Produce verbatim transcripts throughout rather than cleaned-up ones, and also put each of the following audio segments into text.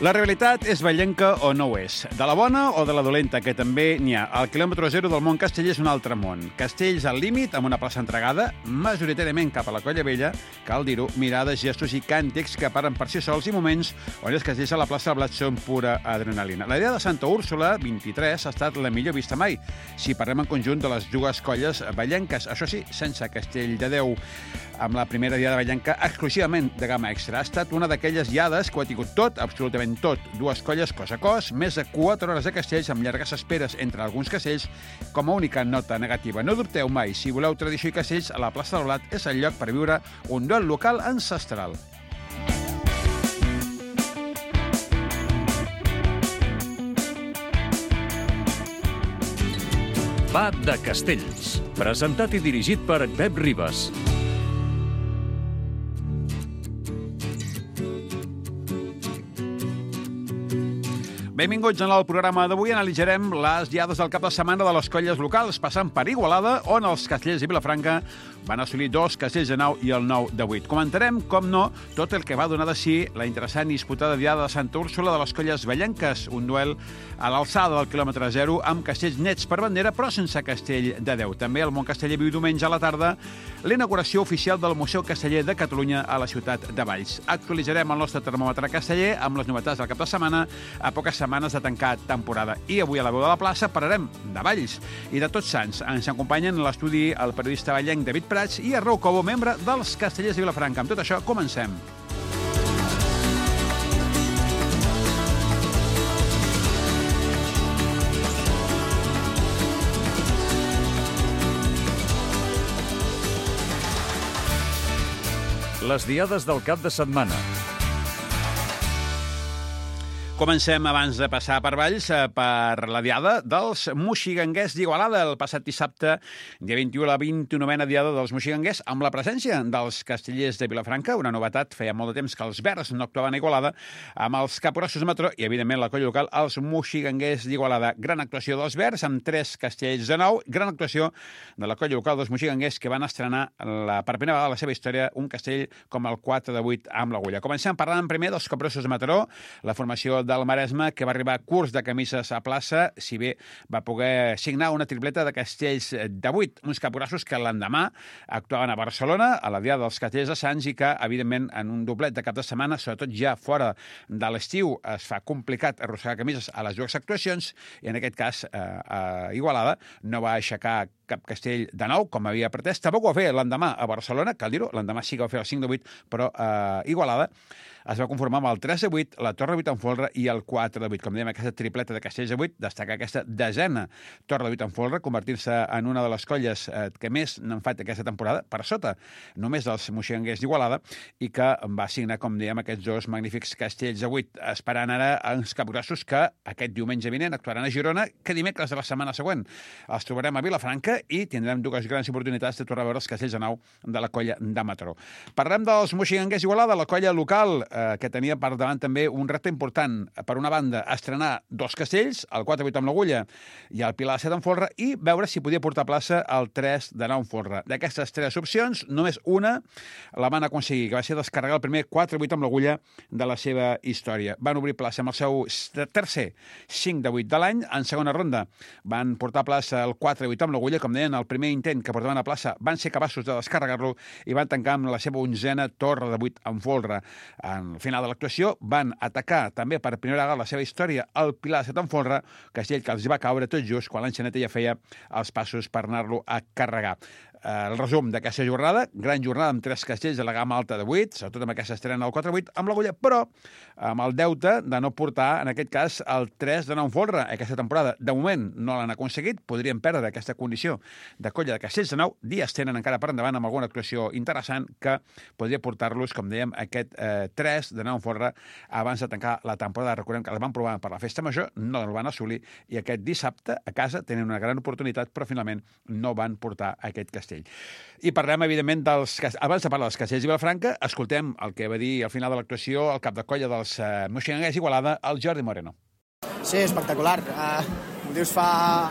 La realitat és vallenca o no ho és. De la bona o de la dolenta, que també n'hi ha. El quilòmetre zero del món casteller és un altre món. Castells al límit, amb una plaça entregada, majoritàriament cap a la Colla Vella, cal dir-ho, mirades, gestos i càntics que paren per si sols i moments on els castells a la plaça del Blat són pura adrenalina. La idea de Santa Úrsula, vint-i-tres, ha estat la millor vista mai, si parlem en conjunt de les dues colles vallenques. Això sí, sense Castell de Déu, amb la primera diada vallenca exclusivament de gamma extra. Ha estat una d'aquelles diades que ho ha tingut tot, absolutament tot. Dues colles cos a cos, més de quatre hores de castells amb llargues esperes entre alguns castells com a única nota negativa. No dubteu mai, si voleu tradició i castells, a la plaça del Blat és el lloc per viure un duel local ancestral. Va de Castells, presentat i dirigit per Pep Ribas. Benvinguts en el programa d'avui. Analitzarem les diades del cap de setmana de les colles locals, passant per Igualada, on els castells de Vilafranca van assolir dos castells de nou i el nou de vuit. Comentarem, com no, tot el que va donar de si la interessant i disputada diada de Santa Úrsula de les colles vallenques, un duel a l'alçada del quilòmetre zero amb castells nets per bandera, però sense castell de Déu. També el món casteller viu diumenge a la tarda l'inauguració oficial del Museu Casteller de Catalunya a la ciutat de Valls. Actualitzarem el nostre termòmetre casteller amb les novetats del cap de setmana a poques setmanes de tancar temporada. I avui a la veu de la plaça parlarem de Valls i de Tots Sants. Ens acompanyen a l'estudi el periodista vallenc David Prats i Arnau Cobo, membre dels Castellers de Vilafranca. Amb tot això, comencem. Les diades del cap de setmana. Comencem, abans de passar per Valls, per la diada dels moixiganguers d'Igualada. El passat dissabte, dia vint-i-u, la vint-i-novena diada dels moixiganguers, amb la presència dels castellers de Vilafranca, una novetat, feia molt de temps que els verds no actuaven a Igualada, amb els capgrossos de Mataró i, evidentment, la colla local, els moixiganguers d'Igualada. Gran actuació dels verds, amb tres castells de nou. Gran actuació de la colla local dels moixiganguers, que van estrenar la, per primera vegada a la seva història un castell com el quatre de vuit amb l'agulla. Comencem parlant primer dels capgrossos de Mataró, la formació del Maresme, que va arribar a curs de camises a plaça, si bé va poder signar una tripleta de castells de vuit, uns capgrossos que l'endemà actuaven a Barcelona, a la diada dels castellers de Sants, i que, evidentment, en un doblet de cap de setmana, sobretot ja fora de l'estiu, es fa complicat arrossegar camises a les dues actuacions, i en aquest cas, eh, a Igualada, no va aixecar cap castell de nou, com havia pretès. Tampoc ho va fer l'endemà a Barcelona, cal dir-ho, l'endemà sí que va fer el cinc de vuit, però a eh, Igualada es va conformar amb el tres de vuit, la Torre de vuit en folre i el quatre de vuit. Com dèiem, aquesta tripleta de castells de vuit, destacar aquesta desena Torre de vuit en folre, convertir-se en una de les colles eh, que més n'han fet aquesta temporada, per sota només dels moixiganguers d'Igualada, i que va signar, com dèiem, aquests dos magnífics castells de vuit, esperant ara els capgrossos que aquest diumenge vinent actuaran a Girona, que dimecres de la setmana següent els trobarem a Vilafranca i tindrem dues grans oportunitats de tornar a veure els castells de nou de la colla de Mataró. Parlem dels moixiganguers d'Igualada, la colla local, que tenia per davant també un repte important. Per una banda, estrenar dos castells, el quatre de vuit amb l'agulla i el Pilar set en folre, i veure si podia portar a plaça el tres de nou en folre. D'aquestes tres opcions, només una la van aconseguir, que va ser descarregar el primer quatre de vuit amb l'agulla de la seva història. Van obrir plaça amb el seu tercer cinc de vuit de l'any. En segona ronda van portar a plaça el quatre de vuit amb l'agulla. Com deien, el primer intent que portaven a plaça van ser capaços de descarregar-lo i van tancar amb la seva onzena Torre de vuit en folre. En al final de l'actuació van atacar també per primera vegada la seva història el Pilar set en folre, castell que els va caure tot just quan l'enxaneta ja feia els passos per anar-lo a carregar. El resum d'aquesta jornada, gran jornada amb tres castells de la gamma alta de vuit, sobretot amb aquesta estrena del quatre de vuit amb l'agulla, però amb el deute de no portar, en aquest cas, el tres de nou en folre aquesta temporada. De moment no l'han aconseguit, podrien perdre aquesta condició de colla de castells de nou, dies tenen encara per endavant amb alguna actuació interessant que podria portar-los, com dèiem, aquest eh, tres de nou en folre abans de tancar la temporada. Recordem que el van provar per la festa major, no el van assolir, i aquest dissabte a casa tenen una gran oportunitat, però finalment no van portar aquest castell. I parlem, evidentment, dels... Abans de parlar dels castells de Vilafranca, escoltem el que va dir al final de l'actuació el cap de colla dels eh, moixiganguers d'Igualada, el Jordi Moreno. Sí, espectacular. Uh, ho dius fa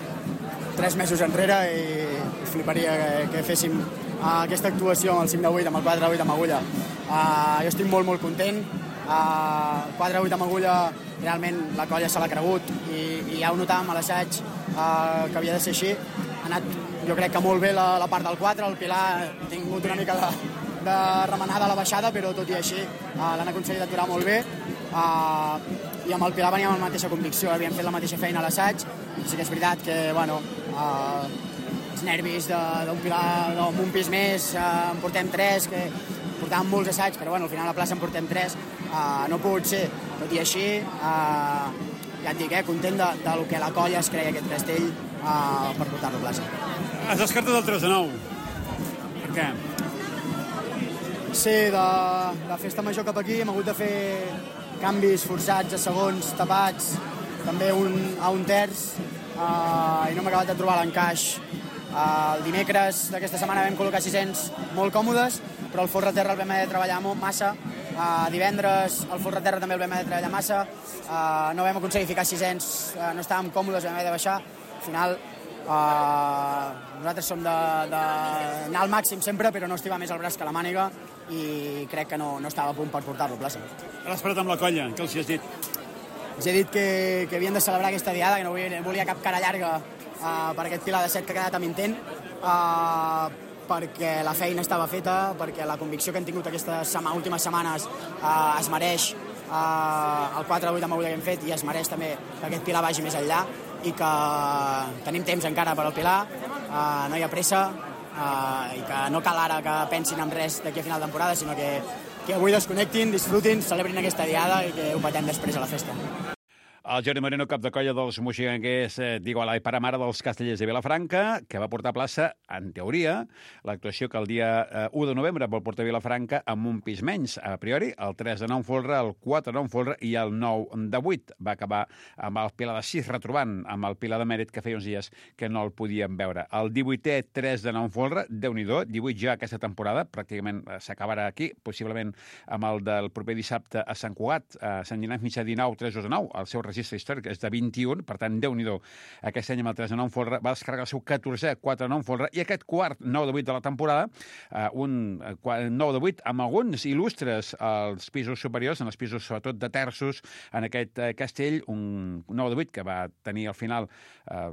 tres mesos enrere i fliparia que, que féssim uh, aquesta actuació amb el cinc de vuit, amb el quatre de vuit amb agulla. Uh, jo estic molt, molt content. Uh, quatre vuit amb agulla, realment la colla se l'ha cregut i, i ja ho notàvem a l'assaig uh, que havia de ser així. Ha anat, jo crec que molt bé la, la part del quatre, el Pilar ha tingut una mica de, de remenada a la baixada, però tot i així uh, l'han aconseguit aturar molt bé. Uh, i amb el Pilar veníem amb la mateixa convicció, havíem fet la mateixa feina a l'assaig, i sí que és veritat que, bueno, uh, els nervis d'un Pilar, no, amb un pis més, uh, en portem tres, que portàvem molts assaigs, però bueno, al final a la plaça en portem tres, uh, no ha pogut ser, tot i així, uh, ja et dic, eh, content de, de lo que la colla es creia aquest castell uh, per portar-lo a plaça. Has descartat el tres de nou. Per què? Sí, de, de festa major cap aquí hem hagut de fer canvis forçats a segons, tapats, també un, a un terç, uh, i no m'he acabat de trobar l'encaix. Uh, el dimecres d'aquesta setmana vam col·locar sis-cents molt còmodes, però el folre terra el vam haver de treballar molt, massa. Uh, divendres el folre terra també el vam haver de treballar massa. Uh, no vam aconseguir ficar sis-cents, uh, no estàvem còmodes, vam haver de baixar. Al final, uh, nosaltres som d'anar al màxim sempre, però no estivar més el braç que la màniga, i crec que no, no estava a punt per portar-lo a plaça. L'has parlat amb la colla, què els hi has dit? Els he dit que, que havien de celebrar aquesta diada, que no volia, volia cap cara llarga uh, per aquest Pilar de set que ha quedat amb intent, uh, perquè la feina estava feta, perquè la convicció que hem tingut aquestes sema, últimes setmanes uh, es mereix uh, el quatre vuit amb agulla que hem fet, i es mereix també que aquest Pilar vagi més enllà, i que tenim temps encara per al Pilar, uh, no hi ha pressa, uh, i que no cal ara que pensin en res d'aquí a final de temporada, sinó que, que avui desconnectin, disfrutin, celebrin aquesta diada i que ho patem després a la festa. El Jordi Moreno, cap de colla dels moxiganguers d'Igualada i pare mare dels Castellers de Vilafranca, que va portar a plaça, en teoria, l'actuació que el dia u de novembre vol portar a Vilafranca amb un pis menys. A priori, el tres de nou en folre, el quatre de nou en folre i el nou de vuit. Va acabar amb el Pilar de sis, retrobant amb el Pilar de Mèrit, que feia uns dies que no el podíem veure. El divuitè, tres de nou en folre, Déu-n'hi-do, divuit ja aquesta temporada, pràcticament s'acabarà aquí, possiblement amb el del proper dissabte a Sant Cugat, a Sant Llinars Mitjà, dinou, tres de nou, el seu registre històric és de vint-i-un, per tant, Déu-n'hi-do. Aquest any amb el tres de nou en folre va descarregar el seu catorzè, quatre de nou en folre, i aquest quart, nou de vuit de la temporada, eh, un nou de vuit amb alguns il·lustres als pisos superiors, en els pisos sobretot de terços, en aquest eh, castell, un nou de vuit que va tenir al final eh,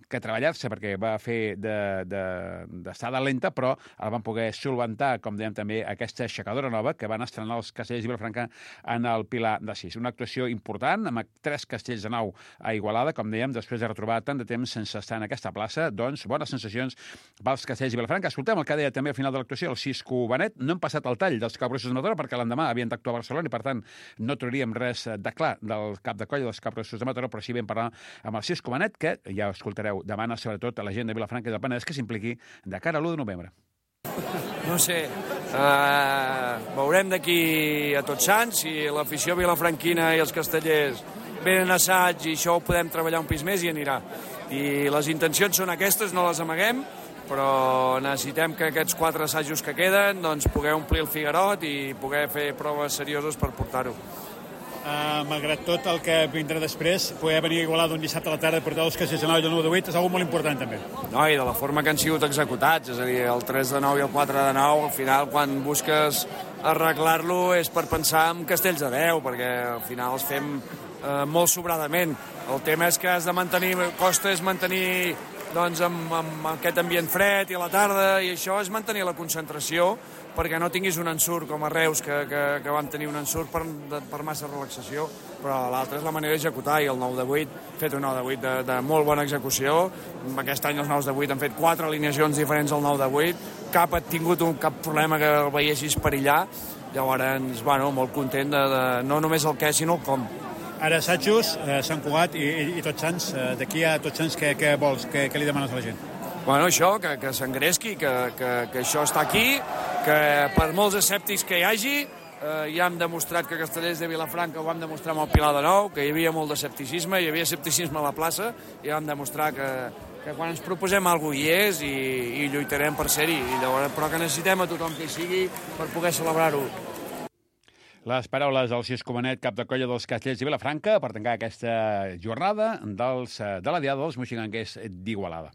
que treballar-se perquè va fer d'estada lenta, però el van poder solventar, com dèiem també, aquesta aixecadora nova que van estrenar els Castellers de Vilafranca en el Pilar de sis. Una actuació important, amb tres castells de nou a Igualada, com dèiem, després de retrobar tant de temps sense estar en aquesta plaça, doncs bones sensacions pels Castells de Vilafranca. Escoltem el que deia també al final de l'actuació el Cisco Benet. No hem passat el tall dels Capgrossos de Mataró perquè l'endemà havien d'actuar a Barcelona i, per tant, no trobaríem res de clar del cap de colla dels Capgrossos de Mataró, però sí vam parlar amb el Cisco Benet, que ja ho escoltareu, demana sobretot a la gent de Vilafranca i del Penedès que s'impliqui de cara a l'u de novembre. No sé, uh, veurem d'aquí a Tots Sants si l'afició vilafranquina i els castellers venen assaig i això ho podem treballar un pis més i anirà. I les intencions són aquestes, no les amaguem, però necessitem que aquests quatre assajos que queden doncs poder omplir el figuerot i poder fer proves serioses per portar-ho. Uh, malgrat tot el que vindrà després, poder venir a Igualada un dissabte a la tarda i portar els castells de nou i el nou de vuit és una molt important també. No, i de la forma que han sigut executats, és a dir, el tres de nou i el quatre de nou, al final quan busques arreglar-lo és per pensar en castells de deu, perquè al final els fem eh, molt sobradament. El tema és que has de mantenir, costa és mantenir doncs, amb, amb aquest ambient fred i a la tarda, i això és mantenir la concentració perquè no tinguis un ensurt com a Reus, que, que, que vam tenir un ensurt per, de, per massa relaxació, però l'altra és la manera d'executar, i el nou de vuit, fet un nou de vuit de, de molt bona execució. Aquest any els nous de vuit han fet quatre alineacions diferents al nou de vuit, cap ha tingut un, cap problema que el veiessis perillar, llavors, bueno, molt content de, de no només el què, sinó el com. Ara assajos, eh, Sant Cugat i, i, i Tots Sants, eh, d'aquí a Tots Sants, què, què vols, què, què li demanes a la gent? Bueno, això, que, que s'engresqui, que, que, que això està aquí, que per molts escèptics que hi hagi, eh, ja hem demostrat que Castellers de Vilafranca ho vam demostrar amb el Pilar de Nou, que hi havia molt d'escepticisme, hi havia escepticisme a la plaça, i vam demostrar que, que quan ens proposem alguna cosa hi és i, i lluitarem per ser-hi, i llavors, però que necessitem a tothom que hi sigui per poder celebrar-ho. Les paraules del Cisco Benet, cap de colla dels Castellers de Vilafranca, per tancar aquesta jornada dels, de la diada dels moxiganguers d'Igualada.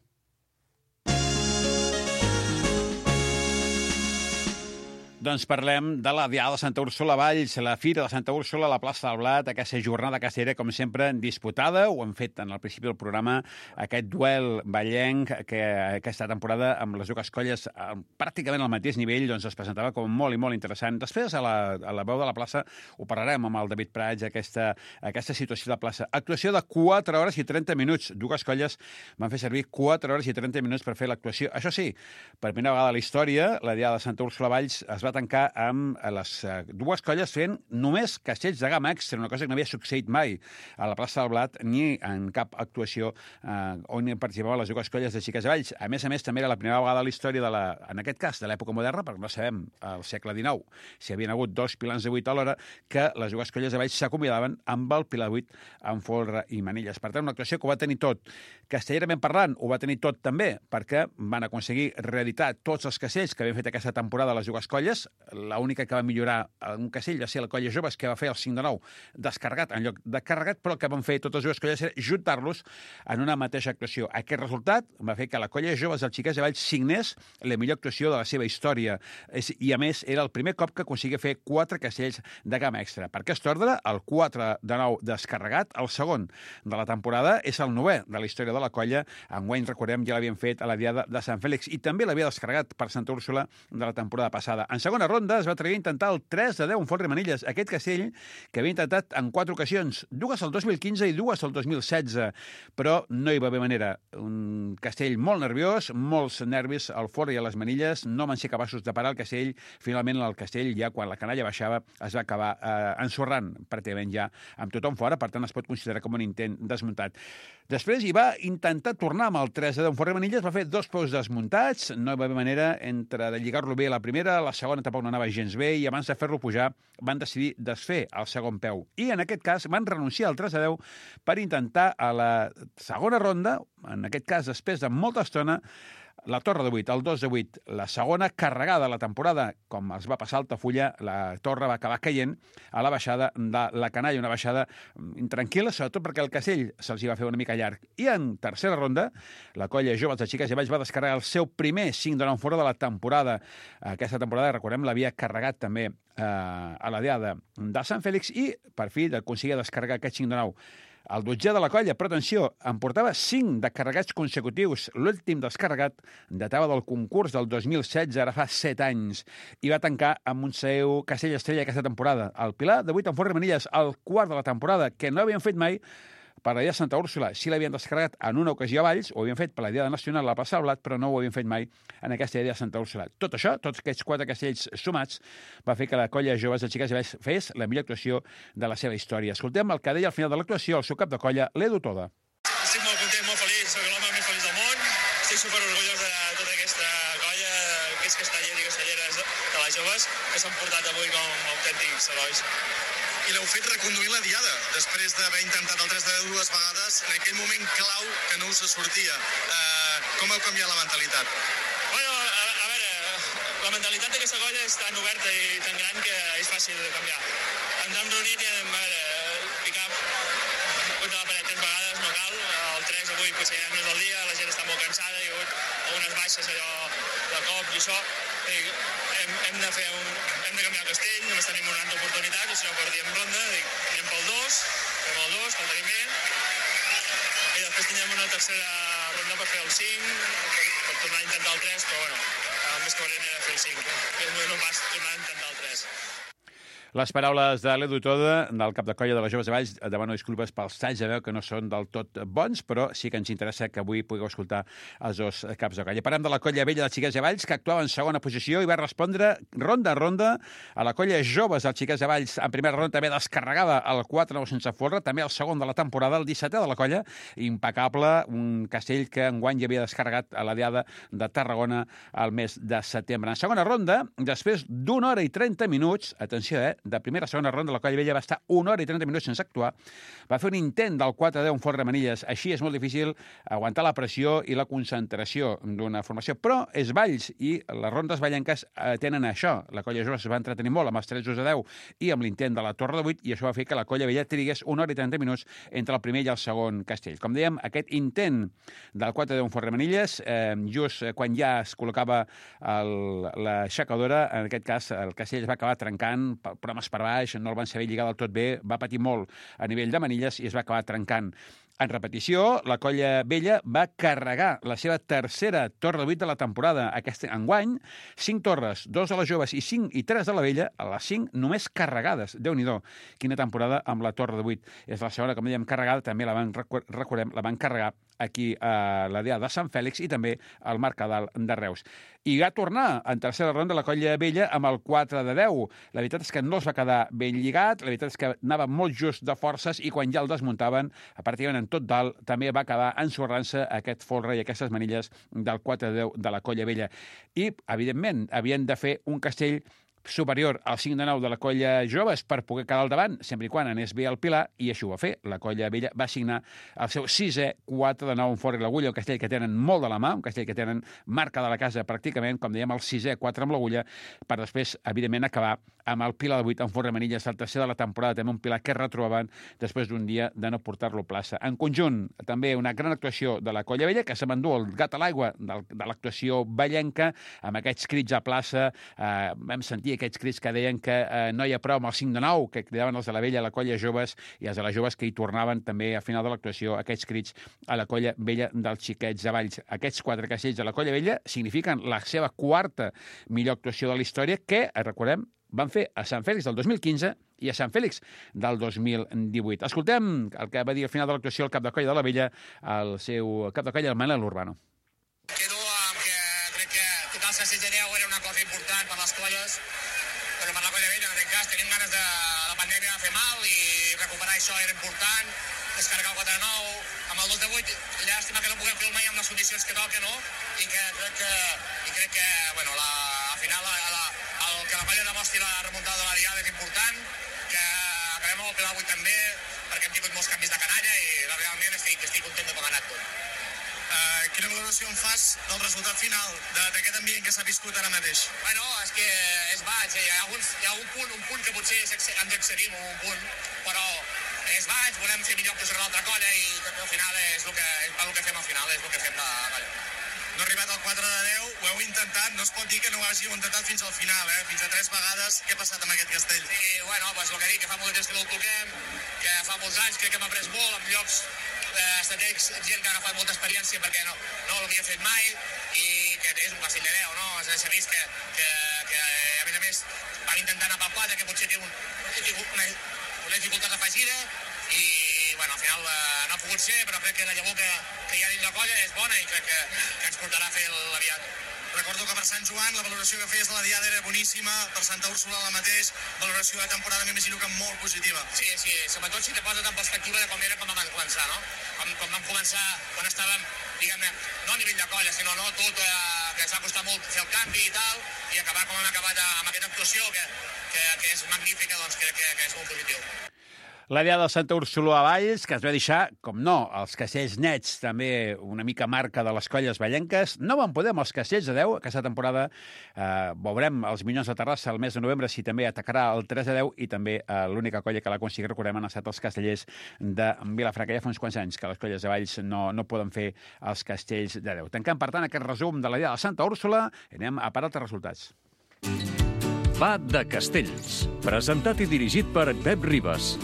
Doncs parlem de la Diada de Santa Úrsula Valls, la Fira de Santa Úrsula a la plaça del Blat, aquesta jornada castellera, com sempre, disputada. Ho hem fet en el principi del programa, aquest duel ballenc que aquesta temporada amb les dues colles pràcticament al mateix nivell doncs es presentava com molt i molt interessant. Després, a la, a la veu de la plaça, ho parlarem amb el David Prats, aquesta, aquesta situació de la plaça. Actuació de quatre hores i trenta minuts. Dues colles van fer servir quatre hores i trenta minuts per fer l'actuació. Això sí, per primera vegada a la història, la Diada de Santa Úrsula Valls es va tancar amb les dues colles fent només castells de gamma extra, una cosa que no havia succeït mai a la plaça del Blat ni en cap actuació eh, on participaven les dues colles de xiques de Valls. A més a més, també era la primera vegada a la història, de la, en aquest cas, de l'època moderna, perquè no sabem, al segle dinou, si havien hagut dos pilans de vuit alhora, que les dues colles de Valls s'acomiadaven amb el pilar de vuit amb folre i manilles. Per tant, una actuació que ho va tenir tot. Castellerament parlant, ho va tenir tot també, perquè van aconseguir reeditar tots els castells que havien fet aquesta temporada les dues colles. L'única que va millorar un castell va ser la colla Joves, que va fer el cinc de nou descarregat en lloc de carregat, però el que van fer totes les dues colles era juntar-los en una mateixa actuació. Aquest resultat va fer que la colla Joves del Xiquets de Valls signés la millor actuació de la seva història. I, a més, era el primer cop que aconseguia fer quatre castells de gamma extra. Per aquest ordre, el quatre de nou descarregat, el segon de la temporada, és el novè de la història de la colla. Enguany, recordem, ja l'havien fet a la Diada de Sant Fèlix i també l'havia descarregat per Santa Úrsula de la temporada passada. En segona ronda es va atrevir a intentar el tres de deu en folre i manilles. Aquest castell que havia intentat en quatre ocasions, dues el dos mil quinze i dues el dos mil setze, però no hi va haver manera. Un castell molt nerviós, molts nervis al folre i a les manilles, no van ser capaços de parar el castell. Finalment el castell, ja quan la canalla baixava, es va acabar eh, ensorrant pràcticament ja amb tothom fora, per tant es pot considerar com un intent desmuntat. Després hi va intentar tornar amb el tres de deu en folre i manilles, va fer dos peus desmuntats, no hi va haver manera entre de lligar-lo bé a la primera, la segona tampoc no anava gens bé, i abans de fer-lo pujar van decidir desfer el segon peu. I en aquest cas van renunciar al tres a deu per intentar a la segona ronda, en aquest cas després de molta estona, la torre de vuit, el dos de vuit, la segona carregada de la temporada, com els va passar a Altafulla, la torre va acabar caient a la baixada de la canalla, una baixada intranquil·la, sobretot perquè el castell se'ls hi va fer una mica llarg. I en tercera ronda, la colla Joves de Xiques i Valls va descarregar el seu primer cinc de nou fora de la temporada. Aquesta temporada, recordem, l'havia carregat també eh, a la Diada de Sant Fèlix i, per fi, d'aconseguir descarregar aquest cinc de nou. El dotzè de la colla, però atenció, en portava cinc de carregats consecutius. L'últim descarregat datava del concurs del dos mil setze, ara fa set anys, i va tancar amb un seu castell estrella aquesta temporada. El pilar de vuit en folre i manilles, el quart de la temporada, que no havien fet mai per la Diada de Santa Úrsula. Sí l'havien descarregat en una ocasió a Valls, ho havien fet per la Diada Nacional a la plaça del Blat, però no ho havien fet mai en aquesta Diada de Santa Úrsula. Tot això, tots aquests quatre castells sumats, va fer que la colla Joves de Xiques i Valls fes la millor actuació de la seva història. Escoltem el que deia al final de l'actuació el seu cap de colla, l'Edu Toda. Estic molt content, molt feliç, soc l'home més feliç del món, estic superorgullós de tota aquesta colla, aquests castellers i castelleres de, de les joves que s'han portat avui com autèntics herois. I l'heu fet reconduint la Diada, després d'haver intentat el tres de dues vegades, en aquell moment clau que no us sortia. Uh, com heu canviat la mentalitat? Bueno, a, a veure, la mentalitat d'aquesta colla és tan oberta i tan gran que és fàcil de canviar. Ens hem reunit i hem, a veure, picar contra la paret tres vegades, no cal. El tres avui potser ja no és el dia, la gent està molt cansada, hi ha hagut algunes baixes allò de cop i això. I hem, hem de fer un, hem de canviar el castell, només tenim una altra oportunitat, i si no perdíem ronda, dic, anem pel dos, fem el dos, que el tenim bé, i després tindrem una tercera ronda per fer el cinc, per, per tornar a intentar el tres, però bueno, el més que valent era fer el cinc, que és no pas tornar a intentar el tres. Les paraules de l'Edu Toda, del cap de colla de les Joves de Valls, demano disculpes pels talls de veu que no són del tot bons, però sí que ens interessa que avui pugueu escoltar els dos caps de colla. Parlem de la colla vella dels Xiquets de Valls, que actuava en segona posició i va respondre ronda a ronda a la colla Joves dels Xiquets de Valls. En primera ronda també descarregava el quatre nou sense folre, també el segon de la temporada, el dissetè de la colla, impecable, un castell que enguany ja havia descarregat a la Diada de Tarragona al mes de setembre. En segona ronda, després d'una hora i trenta minuts, atenció, eh, de primera a segona ronda, la Colla Vella va estar una hora i trenta minuts sense actuar, va fer un intent del quatre a deu en Fort Remanilles, així és molt difícil aguantar la pressió i la concentració d'una formació, però és Valls i les rondes vallenques eh, tenen això, la Colla Jove es va entretenir molt amb els tres a deu i amb l'intent de la Torre de vuit, i això va fer que la Colla Vella trigués una hora i trenta minuts entre el primer i el segon castell. Com dèiem, aquest intent del quatre a deu en Fort Remanilles, eh, just quan ja es col·locava el, l'aixecadora, en aquest cas el castell es va acabar trencant, problemes per baix, no el van saber lligar del tot bé, va patir molt a nivell de manilles i es va acabar trencant. En repetició, la Colla Vella va carregar la seva tercera Torre de vuit de la temporada. Aquest enguany, cinc torres, dos de les joves i cinc i tres de la Vella, a les cinc només carregades. Déu-n'hi-do, quina temporada amb la Torre de vuit. És la segona, com dèiem, carregada, també la van, recordem, la van carregar aquí a la Diada de Sant Fèlix i també al Mercadal de Reus. I va tornar en tercera ronda la Colla Vella amb el quatre de deu. La veritat és que no es va quedar ben lligat, la veritat és que anava molt just de forces i quan ja el desmuntaven, pràcticament en tot dalt, també va acabar ensorrant-se aquest folre i aquestes manilles del quatre de deu de la Colla Vella. I, evidentment, havien de fer un castell superior al cinc de nou de la Colla Joves per poder quedar al davant, sempre i quan anés bé el Pilar, i això ho va fer. La Colla Vella va signar el seu sisè quatre de nou en Fort i l'Agulla, un castell que tenen molt de la mà, un castell que tenen marca de la casa pràcticament, com dèiem, el sisè quatre amb l'Agulla, per després, evidentment, acabar amb el Pilar de vuit en Fort Remanilles, el tercer de la temporada, també un Pilar que retrobaven després d'un dia de no portar-lo a plaça. En conjunt, també una gran actuació de la Colla Vella, que se m'endú el gat a l'aigua de, de l'actuació vallenca, amb aquests crits a plaça, eh, vam sentir aquests crits que deien que eh, no hi ha prou amb el cinc de nou, que cridaven els de la Vella a la Colla Joves, i els de les Joves que hi tornaven també a final de l'actuació aquests crits a la Colla Vella dels xiquets de Valls. Aquests quatre castells de la Colla Vella signifiquen la seva quarta millor actuació de la història, que, recordem, van fer a Sant Fèlix del dos mil quinze i a Sant Fèlix del dos mil divuit. Escoltem el que va dir al final de l'actuació el cap de colla de la Vella, el seu cap de colla, el Manel Urbano. Quedo amb que crec que tocar els castells de deu era una cosa important per les colles, però per la Colla Vella, en aquest cas, tenim ganes de la pandèmia de fer mal i recuperar això era important, descarregar el quatre de nou, amb el dos de vuit, llàstima que no puguem fer mai amb les condicions que toca, no? I que crec que, i crec que bueno, la, al final, la, la, el que la colla demostri la remuntada de la Diada és important, que acabem amb el Pilar vuit també, perquè hem tingut molts canvis de canalla i realment estic, estic content de com ha anat tot. Uh, quina valoració en fas del resultat final d'aquest ambient que s'ha viscut ara mateix? Bueno, és que és baix, hi ha, alguns, hi ha un punt, un punt que potser ens excedim, un punt, però és baix, volem fer millor que l'altra colla i al final és el que, és el que fem al final, és el que fem de colla. No ha arribat al quatre de deu, ho heu intentat, no es pot dir que no ho hàgiu intentat fins al final, eh? Fins a tres vegades. Què ha passat amb aquest castell? Sí, bueno, pues el que dic, que fa molt temps que no el toquem, que fa molts anys crec que hem après molt en llocs eh, estratègics, gent que ha agafat molta experiència perquè no, no l'havia fet mai i que és un castell de deu, no? S'ha vist que, que, que, a més a més, van intentar anar pel quatre, que potser té un, una, una dificultat afegida i, bueno, al final eh, no ha pogut ser, però crec que la llavor que, que hi ha dins la colla és bona i crec que, que ens portarà a fer la Diada. Recordo que per Sant Joan la valoració que feies de la Diada era boníssima, per Santa Úrsula la mateix, valoració de temporada m'imagino que molt positiva. Sí, sí, sobretot si te poses en perspectiva de com era com vam començar, no? Com, com vam començar quan estàvem, diguem-ne, no a nivell de colla, sinó no tot, eh, que ens va costar molt fer el canvi i tal, i acabar com hem acabat amb aquesta actuació, que, que, que és magnífica, doncs crec que, que és molt positiu. La Diada de Santa Úrsula a Valls, que es va deixar, com no, els castells nets, també una mica marca de les colles vallenques. No van poder amb els castells de deu. Aquesta temporada eh, veurem els Minyons de Terrassa el mes de novembre si també atacarà el tres de deu i també eh, l'única colla que l'ha aconseguit, recordem, han estat els castellers de Vilafranca. Ja fa uns quants anys que les colles de Valls no, no poden fer els castells de deu. Tancant, per tant, aquest resum de la Diada de Santa Úrsula. Anem a parar altres resultats. Pa de Castells, presentat i dirigit per Pep Ribas.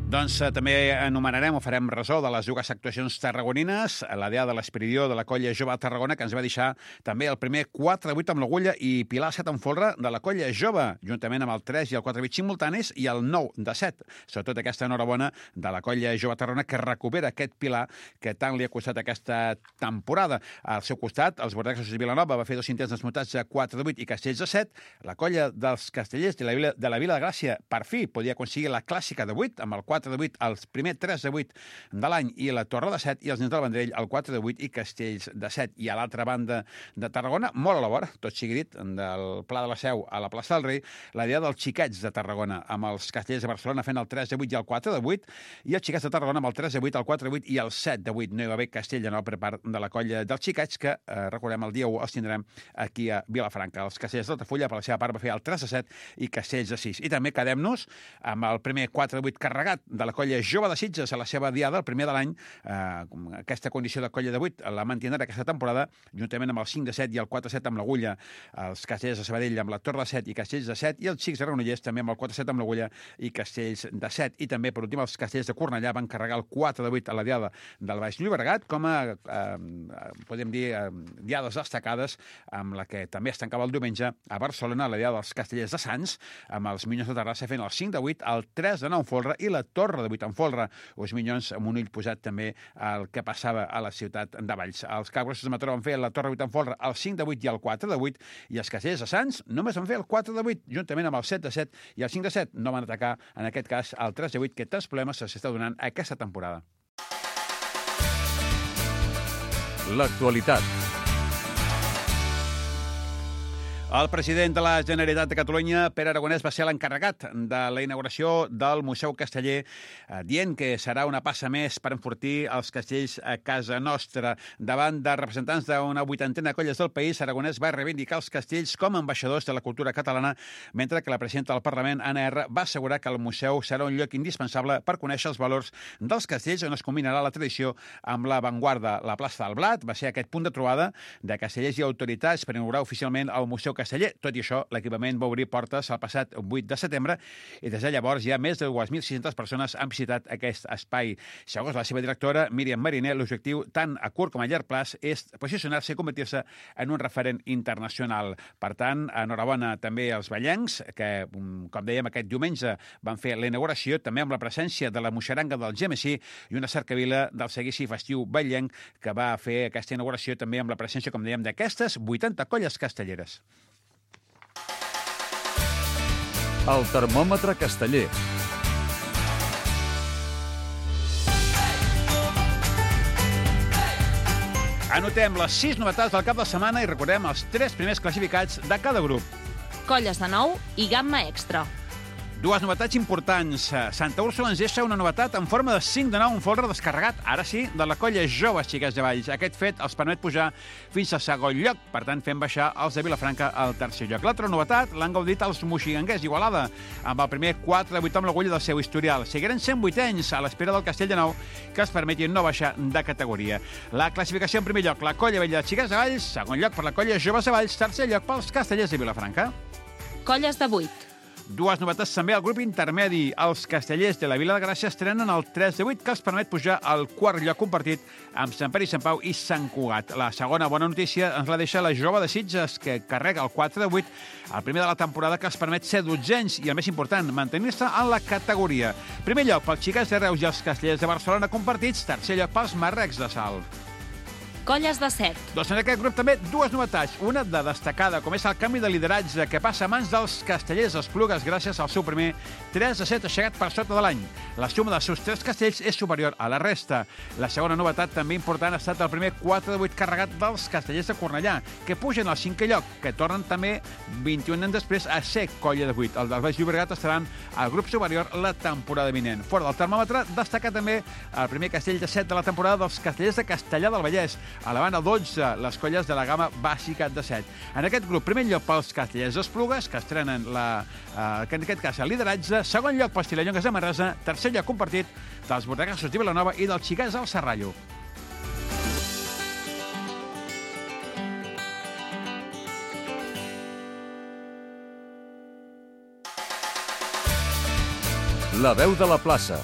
Doncs eh, també enumerarem o farem resó de les dues actuacions tarragonines, la Diada de l'Espiridió de la Colla Jove a Tarragona, que ens va deixar també el primer quatre de vuit amb l'Agulla i Pilar set en folre de la Colla Jove, juntament amb el tres i el quatre de vuit simultanis i el nou de set. Sobretot aquesta enhorabona de la Colla Jove a Tarragona, que recupera aquest Pilar que tant li ha costat aquesta temporada. Al seu costat, els bordeguesos de Vilanova va fer dos intents desmuntats a quatre de vuit i castells de set. La Colla dels Castellers de la Vila de, la Vila de Gràcia, per fi, podia aconseguir la clàssica de vuit amb el quatre quatre de vuit, el primer tres de vuit de l'any i la Torre de set, i els nens del Vendrell el quatre de vuit i Castells de set. I a l'altra banda de Tarragona, molt a la vora, tot sigui dit, del Pla de la Seu a la plaça del Rei, la Diada dels Xiquets de Tarragona, amb els Castellers de Barcelona fent el tres de vuit i el quatre de vuit, i els Xiquets de Tarragona amb el tres de vuit, el quatre de vuit i el set de vuit. No hi va haver castell de nou per part de la colla dels Xiquets, que, eh, recordem, el dia u els tindrem aquí a Vilafranca. Els Castellers d'Altafulla, per la seva part, va fer el tres de set i Castells de sis. I també quedem-nos amb el primer quatre de vuit carregat de la colla Jove de Sitges a la seva diada, el primer de l'any. Eh, aquesta condició de colla de vuit la mantindrà aquesta temporada, juntament amb el cinc de set i el quatre de set amb l'Agulla, els Castellers de Sabadell amb la Torre de set i Castells de set, i els Xics de Granollers també amb el quatre de set amb l'Agulla i Castells de set. I també, per últim, els Castellers de Cornellà van carregar el quatre de vuit a la diada del Baix Llobregat, com a, eh, podem dir, eh, diades destacades, amb la que també es tancava el diumenge a Barcelona, la diada dels Castellers de Sants, amb els Minyons de Terrassa fent el cinc de vuit, el tres de nou en folre i la Torre de vuit en folre. Els Minyons amb un ull posat també al que passava a la ciutat de Valls. Els Capgrossos de Mataró van fer la Torre de vuit en folre, el cinc de vuit i el quatre de vuit, i els Castellers de Sants només van fer el quatre de vuit, juntament amb el set de set i el cinc de set. No van atacar, en aquest cas, el tres de vuit, que tants problemes s'està donant aquesta temporada. L'actualitat. El president de la Generalitat de Catalunya, Pere Aragonès, va ser l'encarregat de la inauguració del Museu Casteller, eh, dient que serà una passa més per enfortir els castells a casa nostra. Davant de representants d'una vuitantena de colles del país, Aragonès va reivindicar els castells com a ambaixadors de la cultura catalana, mentre que la presidenta del Parlament, Anna R, va assegurar que el museu serà un lloc indispensable per conèixer els valors dels castells, on es combinarà la tradició amb l'avantguarda. La plaça del Blat va ser aquest punt de trobada de castellers i autoritats per inaugurar oficialment el Museu Casteller. Tot i això, l'equipament va obrir portes el passat vuit de setembre i des de llavors ja més de dues mil sis-centes persones han visitat aquest espai. Segons la seva directora, Míriam Mariner, l'objectiu tant a curt com a llarg plaç és posicionar-se i convertir-se en un referent internacional. Per tant, enhorabona també als ballencs, que, com dèiem, aquest diumenge van fer la inauguració, també amb la presència de la moixeranga del G M C i una cercavila del seguici festiu ballenc, que va fer aquesta inauguració també amb la presència, com dèiem, d'aquestes vuitanta colles castelleres. El termòmetre casteller. Anotem les sis novetats del cap de setmana i recordem els tres primers classificats de cada grup. Colles de nou i gamma extra. Dues novetats importants. Santa Úrsula ens deixa una novetat en forma de cinc de nou en folre descarregat, ara sí, de la colla Joves Xiquets de Valls. Aquest fet els permet pujar fins al segon lloc, per tant fent baixar els de Vilafranca al tercer lloc. L'altra novetat l'han gaudit els moxiganguers d'Igualada, amb el primer quatre de vuit amb l'agulla del seu historial. Seguiran sent vuitens a l'espera del Castell de Nou, que els permeti no baixar de categoria. La classificació en primer lloc, la colla vella de Xiquets de Valls, segon lloc per la colla Joves de Valls, tercer lloc pels castellers de Vilafranca. Colles de vuit. Dues novetats també al grup intermedi. Els castellers de la Vila de Gràcia estrenen el tres de vuit, que els permet pujar al quart lloc compartit amb Sant Pere i Sant Pau i Sant Cugat. La segona bona notícia ens la deixa la Jove de Sitges, que carrega el quatre de vuit, el primer de la temporada, que els permet ser dotzens i, el més important, mantenir-se en la categoria. Primer lloc pels Xiquets de Reus i els castellers de Barcelona compartits, tercer lloc pels Marrecs de Salt. Colles de set. Doncs en aquest grup també dues novetats. Una de destacada, com és el canvi de lideratge que passa a mans dels castellers Esplugues gràcies al seu primer tres de set aixecat per sota de l'any. La suma dels seus tres castells és superior a la resta. La segona novetat també important ha estat el primer quatre de vuit carregat dels castellers de Cornellà, que pugen al cinquè lloc, que tornen també vint-i-un anys després a ser colla de vuit. El del Baix Llobregat estaran al grup superior la temporada vinent. Fora del termòmetre, destaca també el primer castell de set de la temporada dels castellers de Castellar del Vallès, a la banda dotze, les colles de la gamma bàsica de set. En aquest grup, primer lloc pels castellers Esplugues, que estrenen la, eh, que en aquest cas el lideratge, segon lloc pels Tilellongues de Manresa, tercer lloc compartit dels Bordegassos de Vilanova i dels Xiquets al Serrallo. La veu de la plaça.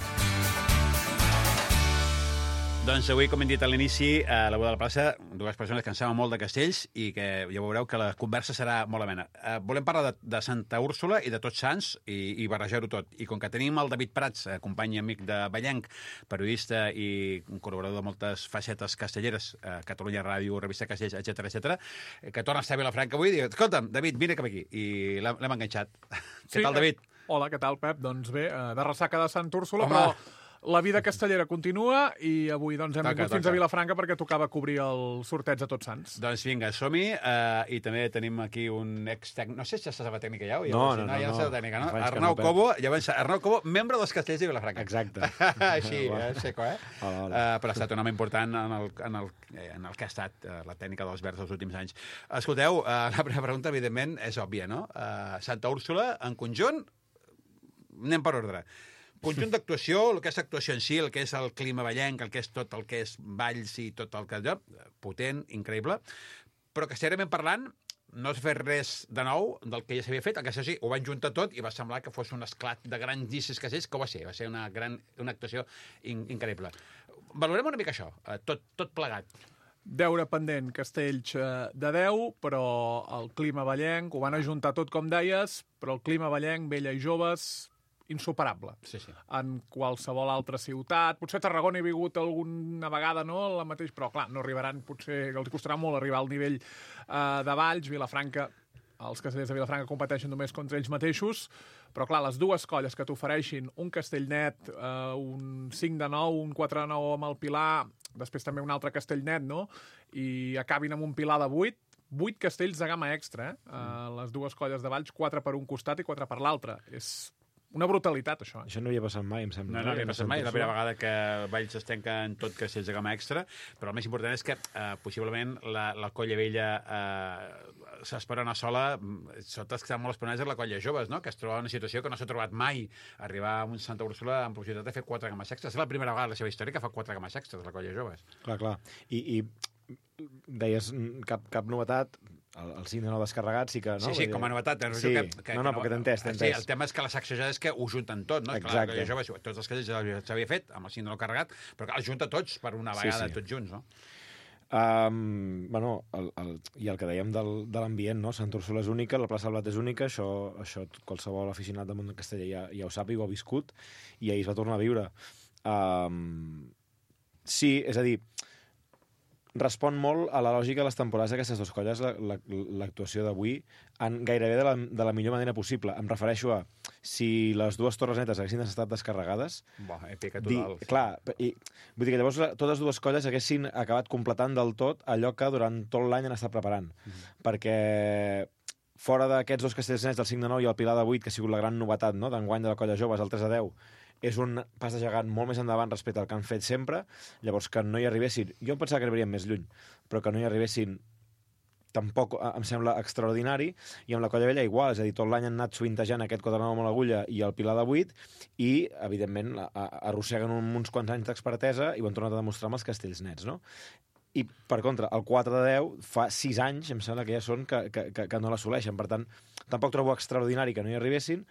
Doncs avui, com hem dit a l'inici, a la veu de la plaça, dues persones que en saben molt de castells i que ja veureu que la conversa serà molt amena. Eh, volem parlar de, de Santa Úrsula i de Tots Sants i, i barrejar-ho tot. I com que tenim el David Prats, eh, company i amic de Vallenc, periodista i un col·laborador de moltes facetes castelleres, eh, Catalunya Ràdio, Revista Castells, etcètera, etcètera, eh, que torna a estar a Vilafranca avui, i diu, escolta'm, David, vine cap aquí. I l'hem enganxat. Sí, Què tal, David? Hola, què tal, Pep? Doncs bé, de ressaca de Sant Úrsula, Home. però la vida castellera continua i avui doncs, hem vingut fins a Vilafranca perquè tocava cobrir el sorteig de Tots Sants. Doncs vinga, som-hi, uh, i també tenim aquí un ex-tècnic, no sé si estàs a la tècnica ja, o ja no, no, no, no, ja no, no, no, la tècnica, no? no Arnau no, Cobo, llavors, Arnau Cobo, membre dels Castells de Vilafranca. Exacte. Així, eh, seco, eh? Hola, hola. Uh, però ha estat un home important en el, en el, en el que ha estat uh, la tècnica dels Verds els últims anys. Escolteu, uh, la primera pregunta, evidentment, és òbvia, no? Uh, Santa Úrsula, en conjunt, anem per ordre. Conjunt d'actuació, el que és l'actuació en si, el que és el clima ballenc, el que és tot el que és valls i tot el que allò, potent, increïble, però que seriament parlant no s'ha fet res de nou del que ja s'havia fet, el que sí, ho van juntar tot i va semblar que fos un esclat de grans discs castells, que ho va ser, va ser una gran una actuació in, increïble. Valorem una mica això, tot, tot plegat. Deure pendent, Castells de deu, però el clima ballenc, ho van ajuntar tot com deies, però el clima ballenc, vella i joves, insuperable. Sí, sí. En qualsevol altra ciutat. Potser a Tarragona he vingut alguna vegada, no?, la mateix, però clar, no arribaran, potser els costarà molt arribar al nivell eh, de Valls, Vilafranca. Els castellers de Vilafranca competeixen només contra ells mateixos, però clar, les dues colles que t'ofereixin un castell net, eh, un cinc de nou, un quatre de nou amb el Pilar, després també un altre castell net, no?, i acabin amb un Pilar de vuit, vuit castells de gamma extra, eh? Mm. Les dues colles de Valls, quatre per un costat i quatre per l'altre. És una brutalitat, això. Això no havia passat mai, em sembla. No, no havia passat mai. És la primera vegada que Valls es tanca en tot castells de gamma extra, però el més important és que eh, possiblement la, la colla vella eh, s'espera una sola, sobretot que estan molt esperonats és la colla joves, no?, que es troba en una situació que no s'ha trobat mai, arribar a un Santa Úrsula amb possibilitat de fer quatre gammes extras. És la primera vegada en la seva història que fa quatre gammes extras, la colla joves. Clar, clar. I, i deies cap, cap novetat, el, el cinc de nou descarregat sí que... No? Sí, sí, com a novetat. Sí, que, que, no, no, que perquè t'he entès, t'he entès. Sí, el tema és que la sacsejada és que ho junten tot, no? Exacte. Clar, jove, tots els castells s'havia fet, amb el cinc de nou carregat, però que els junta tots per una vegada, sí, sí. tots junts, no? Um, bueno, el, el, i el que dèiem del, de l'ambient, no? Sant Úrsula és única, la plaça del Blat és única, això, això qualsevol aficionat del món casteller ja, ja ho sap i ho ha viscut, i ahir es va tornar a viure. Um, sí, és a dir, respon molt a la lògica de les temporades d'aquestes dues colles, l'actuació la, la, d'avui, en gairebé de la, de la millor manera possible. Em refereixo a, si les dues torres netes haguessin estat descarregades... Bo, èpica total. Di, clar, i, vull dir que llavors totes dues colles haguessin acabat completant del tot allò que durant tot l'any han estat preparant. Mm. Perquè fora d'aquests dos castells nets, del cinc de nou i el Pilar de vuit, que ha sigut la gran novetat, no?, d'enguany de la colla joves, el tres de deu, és un pas de gegant molt més endavant respecte al que han fet sempre, llavors que no hi arribessin, jo em pensava que arribarien més lluny, però que no hi arribessin tampoc em sembla extraordinari, i amb la colla vella igual, és a dir, tot l'any han anat suintejant aquest quatre de nou amb l'agulla i el Pilar de vuit, i, evidentment, arrosseguen uns quants anys d'expertesa i ho han tornat a demostrar amb els castells nets, no? I, per contra, el quatre de deu fa sis anys, em sembla que ja són que, que, que no l'assoleixen. Per tant, tampoc trobo extraordinari que no hi arribessin,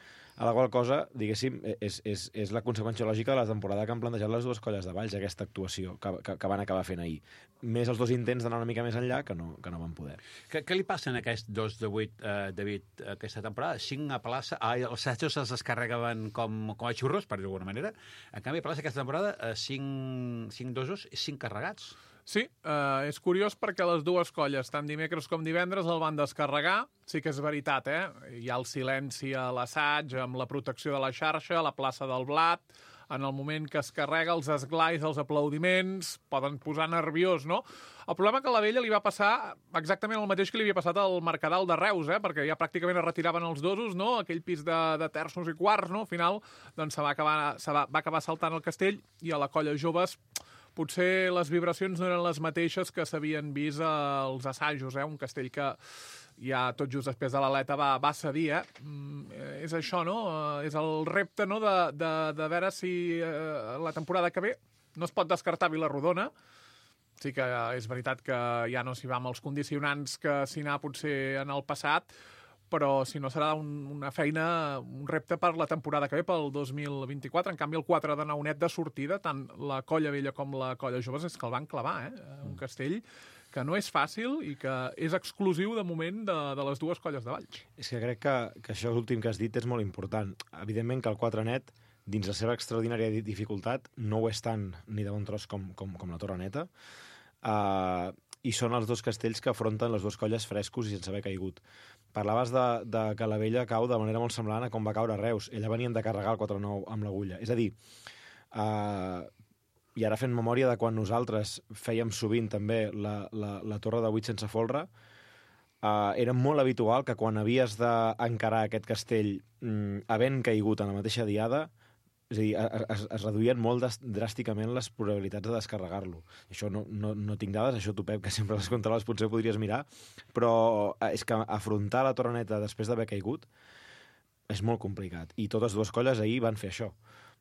a la qual cosa, diguéssim, és, és, és la conseqüència lògica de la temporada que han plantejat les dues colles de Valls, aquesta actuació que, que, que van acabar fent ahir. Més els dos intents d'anar una mica més enllà que no, que no van poder. Què, què li passen a aquests dos de vuit, eh, David, aquesta temporada? Cinc a plaça... Ah, els assajos es descarregaven com, com a xurros, per dir d'alguna manera. En canvi, a plaça aquesta temporada, eh, cinc, cinc dosos i cinc carregats. Sí, eh, és curiós perquè les dues colles, tant dimecres com divendres, el van descarregar. Sí que és veritat, eh? Hi ha el silenci a l'assaig, amb la protecció de la xarxa, a la plaça del Blat, en el moment que es carrega, els esglais, els aplaudiments, poden posar nerviós, no? El problema que a la vella li va passar exactament el mateix que li havia passat al Mercadal de Reus, eh? Perquè ja pràcticament es retiraven els dosos, no? Aquell pis de, de terços i quarts, no? Al final, doncs, se va acabar, se va, va acabar saltant el castell, i a la colla joves potser les vibracions no eren les mateixes que s'havien vist als assajos, eh? Un castell que ja tot just després de l'aleta va, va cedir, eh? Mm, és això, no? Uh, és el repte, no?, de, de, de veure si uh, la temporada que ve no es pot descartar Vilarrodona. Sí que uh, és veritat que ja no s'hi va amb els condicionants que s'hi anà potser en el passat, però si no serà un, una feina, un repte per la temporada que ve, pel dos mil vint-i-quatre. En canvi, el quatre de nou net de sortida, tant la colla vella com la colla joves, és que el van clavar, eh? Un castell que no és fàcil i que és exclusiu, de moment, de, de les dues colles de Valls. És que crec que, que això últim que has dit és molt important. Evidentment que el quatre net, dins la seva extraordinària dificultat, no ho és tant ni de bon tros com, com, com la torre neta. Uh, i són els dos castells que afronten les dues colles frescos i sense haver caigut. Parlaves de, de que la Vella cau de manera molt semblant a com va caure Reus. Ella venien de carregar el quatre nou amb l'agulla. És a dir, eh, i ara fent memòria de quan nosaltres fèiem sovint també la, la, la torre de vuit sense folre, Uh, era molt habitual que quan havies d'encarar aquest castell mm, havent caigut en la mateixa diada, és a dir, es, es reduïen molt des, dràsticament les probabilitats de descarregar-lo. Això no, no, no tinc dades, això tu, Pep, que sempre les controles, potser ho podries mirar, però és que afrontar la torre neta després d'haver caigut és molt complicat. I totes dues colles ahir van fer això.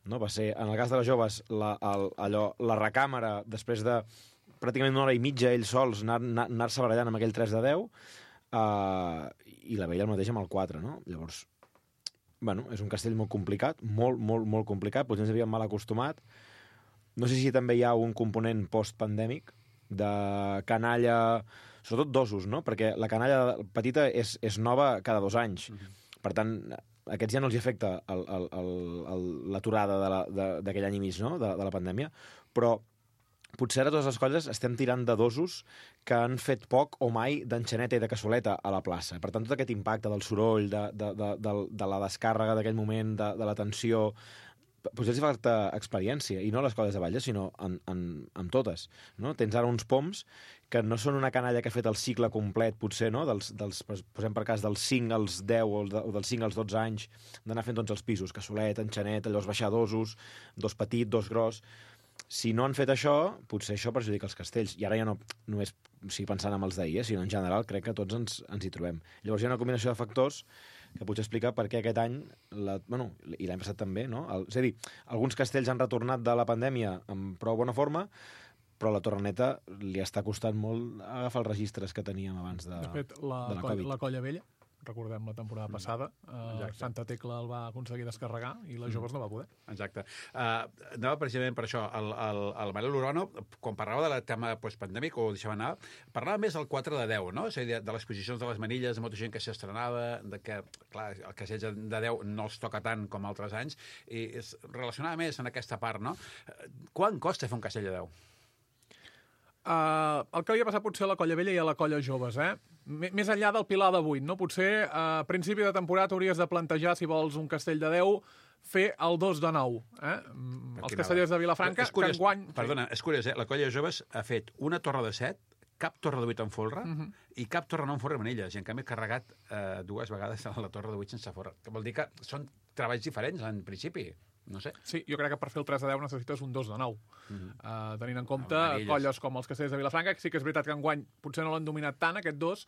No? Va ser, en el cas de les joves, la, el, allò, la recàmera, després de pràcticament una hora i mitja ells sols anar-se anar barallant amb aquell tres de deu, Uh, i la Vella el mateix amb el quatre, no? Llavors, bueno, és un castell molt complicat, molt, molt, molt complicat, potser ens havíem mal acostumat. No sé si també hi ha un component post-pandèmic de canalla, sobretot dosos, no? Perquè la canalla petita és, és nova cada dos anys. Mm-hmm. Per tant, a aquests ja no els afecta l'aturada d'aquell any i mig, no? de, de la pandèmia, però potser a totes les colles estem tirant de dosos que han fet poc o mai d'enxaneta i de cassoleta a la plaça. Per tant, tot aquest impacte del soroll, de, de, de, de, de la descàrrega d'aquell moment, de, de la tensió, potser els hi falta experiència, i no a les colles de Batlles, sinó en, en, en totes. No? Tens ara uns poms que no són una canalla que ha fet el cicle complet, potser, no? dels, dels, posem per cas dels cinc als deu o, de, o dels cinc als dotze anys, d'anar fent tots els pisos, cassolet, enxaneta, llavors baixar dosos, dos petit, dos gros. Si no han fet això, potser això perjudica els castells. I ara ja no només o sigui, pensant en els d'ahir, eh, sinó en general crec que tots ens, ens hi trobem. Llavors hi ha una combinació de factors que potser explica per què aquest any, la, bueno, i l'any passat també, no? El, és a dir, alguns castells han retornat de la pandèmia amb prou bona forma, però la Torreneta li està costant molt agafar els registres que teníem abans de, de, fet, la, de la coll, Covid. La Colla Vella, recordem la temporada passada, uh, Santa Tecla el va aconseguir descarregar i les joves no va poder. Exacte. Uh, anava precisament per això. El, el, el Manel Urano, quan parlava del tema postpandèmic, o ho deixava anar, parlava més del quatre de deu, no? És a dir, de les posicions de les manilles, de molta gent que s'estrenava, de que, clar, el casell de deu no els toca tant com altres anys, i es relacionava més en aquesta part, no? Quan costa fer un casell de deu? Uh, el que havia passat potser a la Colla Vella i a la Colla Joves, eh? M més enllà del pilar de vuit, no? Potser a principi de temporada hauries de plantejar, si vols un castell de deu, fer el dos de nou. Eh? Els castellers de Vilafranca, és curiós, que enguany... Perdona, és curiós, eh? La Colla Joves ha fet una torre de set, cap torre de vuit amb folre, uh -huh. i cap torre no amb folre manilles, i en canvi ha carregat eh, dues vegades a la torre de vuit sense folre. Que vol dir que són treballs diferents, en principi. No sé. Sí, jo crec que per fer el tres de deu necessites un dos de nou. Uh -huh. uh, tenint en compte Amarilles. Colles com els castellers de Vilafranca, que sí que és veritat que enguany potser no l'han dominat tant, aquest dos,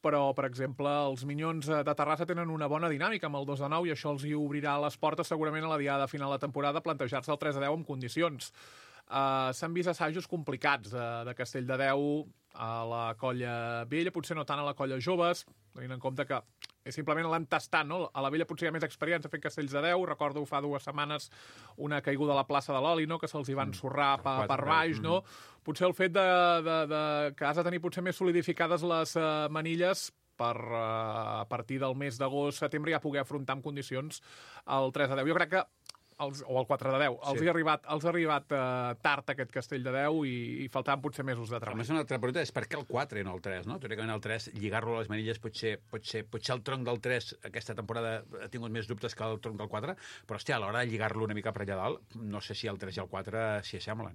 però, per exemple, els Minyons de Terrassa tenen una bona dinàmica amb el dos de nou i això els hi obrirà les portes segurament a la diada final de temporada plantejar-se el tres de deu en condicions. Uh, S'han vist assajos complicats de, de Castell de deu a la Colla Vella, potser no tant a la Colla Joves, tenint en compte que és simplement l'han tastat, no? A la Vella potser hi ha més experiència fent castells de deu, recordo fa dues setmanes una caiguda a la plaça de l'Oli, no? Que se'ls hi van sorrar per, per baix, no? Potser el fet de, de, de, que has de tenir potser més solidificades les uh, manilles per uh, a partir del mes d'agost, setembre, ja poder afrontar en condicions el tres de deu. Jo crec que Els, o el quatre de deu. Els sí. ha arribat, els ha arribat uh, tard aquest castell de deu i, i faltaven potser mesos de treball. A més, una altra pregunta és per què el quatre i no el tres, no? Teòricament el tres, lligar-lo a les manilles, potser, potser, potser el tronc del tres aquesta temporada ha tingut més dubtes que el tronc del quatre, però, hòstia, a l'hora de lligar-lo una mica per allà dalt, no sé si el tres i el quatre s'hi assemblen.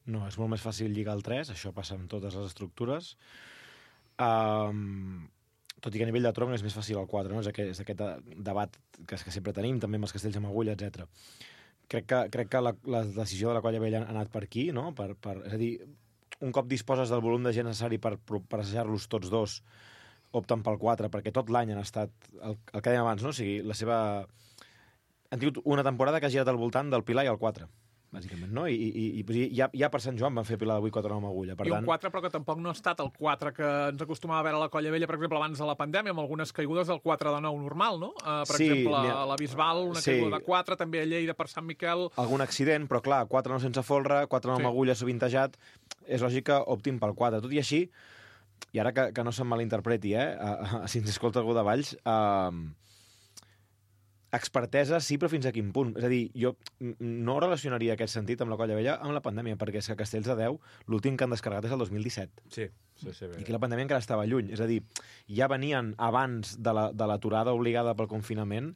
No, és molt més fàcil lligar el tres, això passa amb totes les estructures. Um... Tot i que a nivell de tronc és més fàcil el quatre, no? És aquest, és aquest debat que, que sempre tenim, també amb els castells amb agulla, etcètera. Crec que, crec que la, la decisió de la Colla Vella ha anat per aquí, no? Per, per, és a dir, un cop disposes del volum de gent necessari per, per assajar-los tots dos, opten pel quatre, perquè tot l'any han estat, el, el que dèiem abans, no? O sigui, la seva... Han tingut una temporada que ha girat al voltant del Pilar i el quatre, bàsicament, no? I, i, i ja, ja per Sant Joan van fer Pilar de vuit quatre nou amb agulla. Per I tant... un quatre, però que tampoc no ha estat el quatre que ens acostumava a veure a la Colla Vella, per exemple, abans de la pandèmia, amb algunes caigudes del quatre de nou normal, no? Uh, per sí, exemple, ha... a la Bisbal, una sí. caiguda de quatre, també a Lleida per Sant Miquel... Algun accident, però clar, quatre nou sense folre, quatre nou sí. amb agulla sovintejat, és lògic que optin pel quatre. Tot i així, i ara que, que no se'm malinterpreti, eh? Uh, uh, si ens escolta algú de Valls... Uh, expertesa sí, però fins a quin punt? És a dir, jo no relacionaria aquest sentit amb la Colla Vella amb la pandèmia, perquè és que Castells de Déu, l'últim que han descarregat és el dos mil disset. Sí, sí, sí. I aquí la pandèmia encara estava lluny. És a dir, ja venien abans de la, de l'aturada obligada pel confinament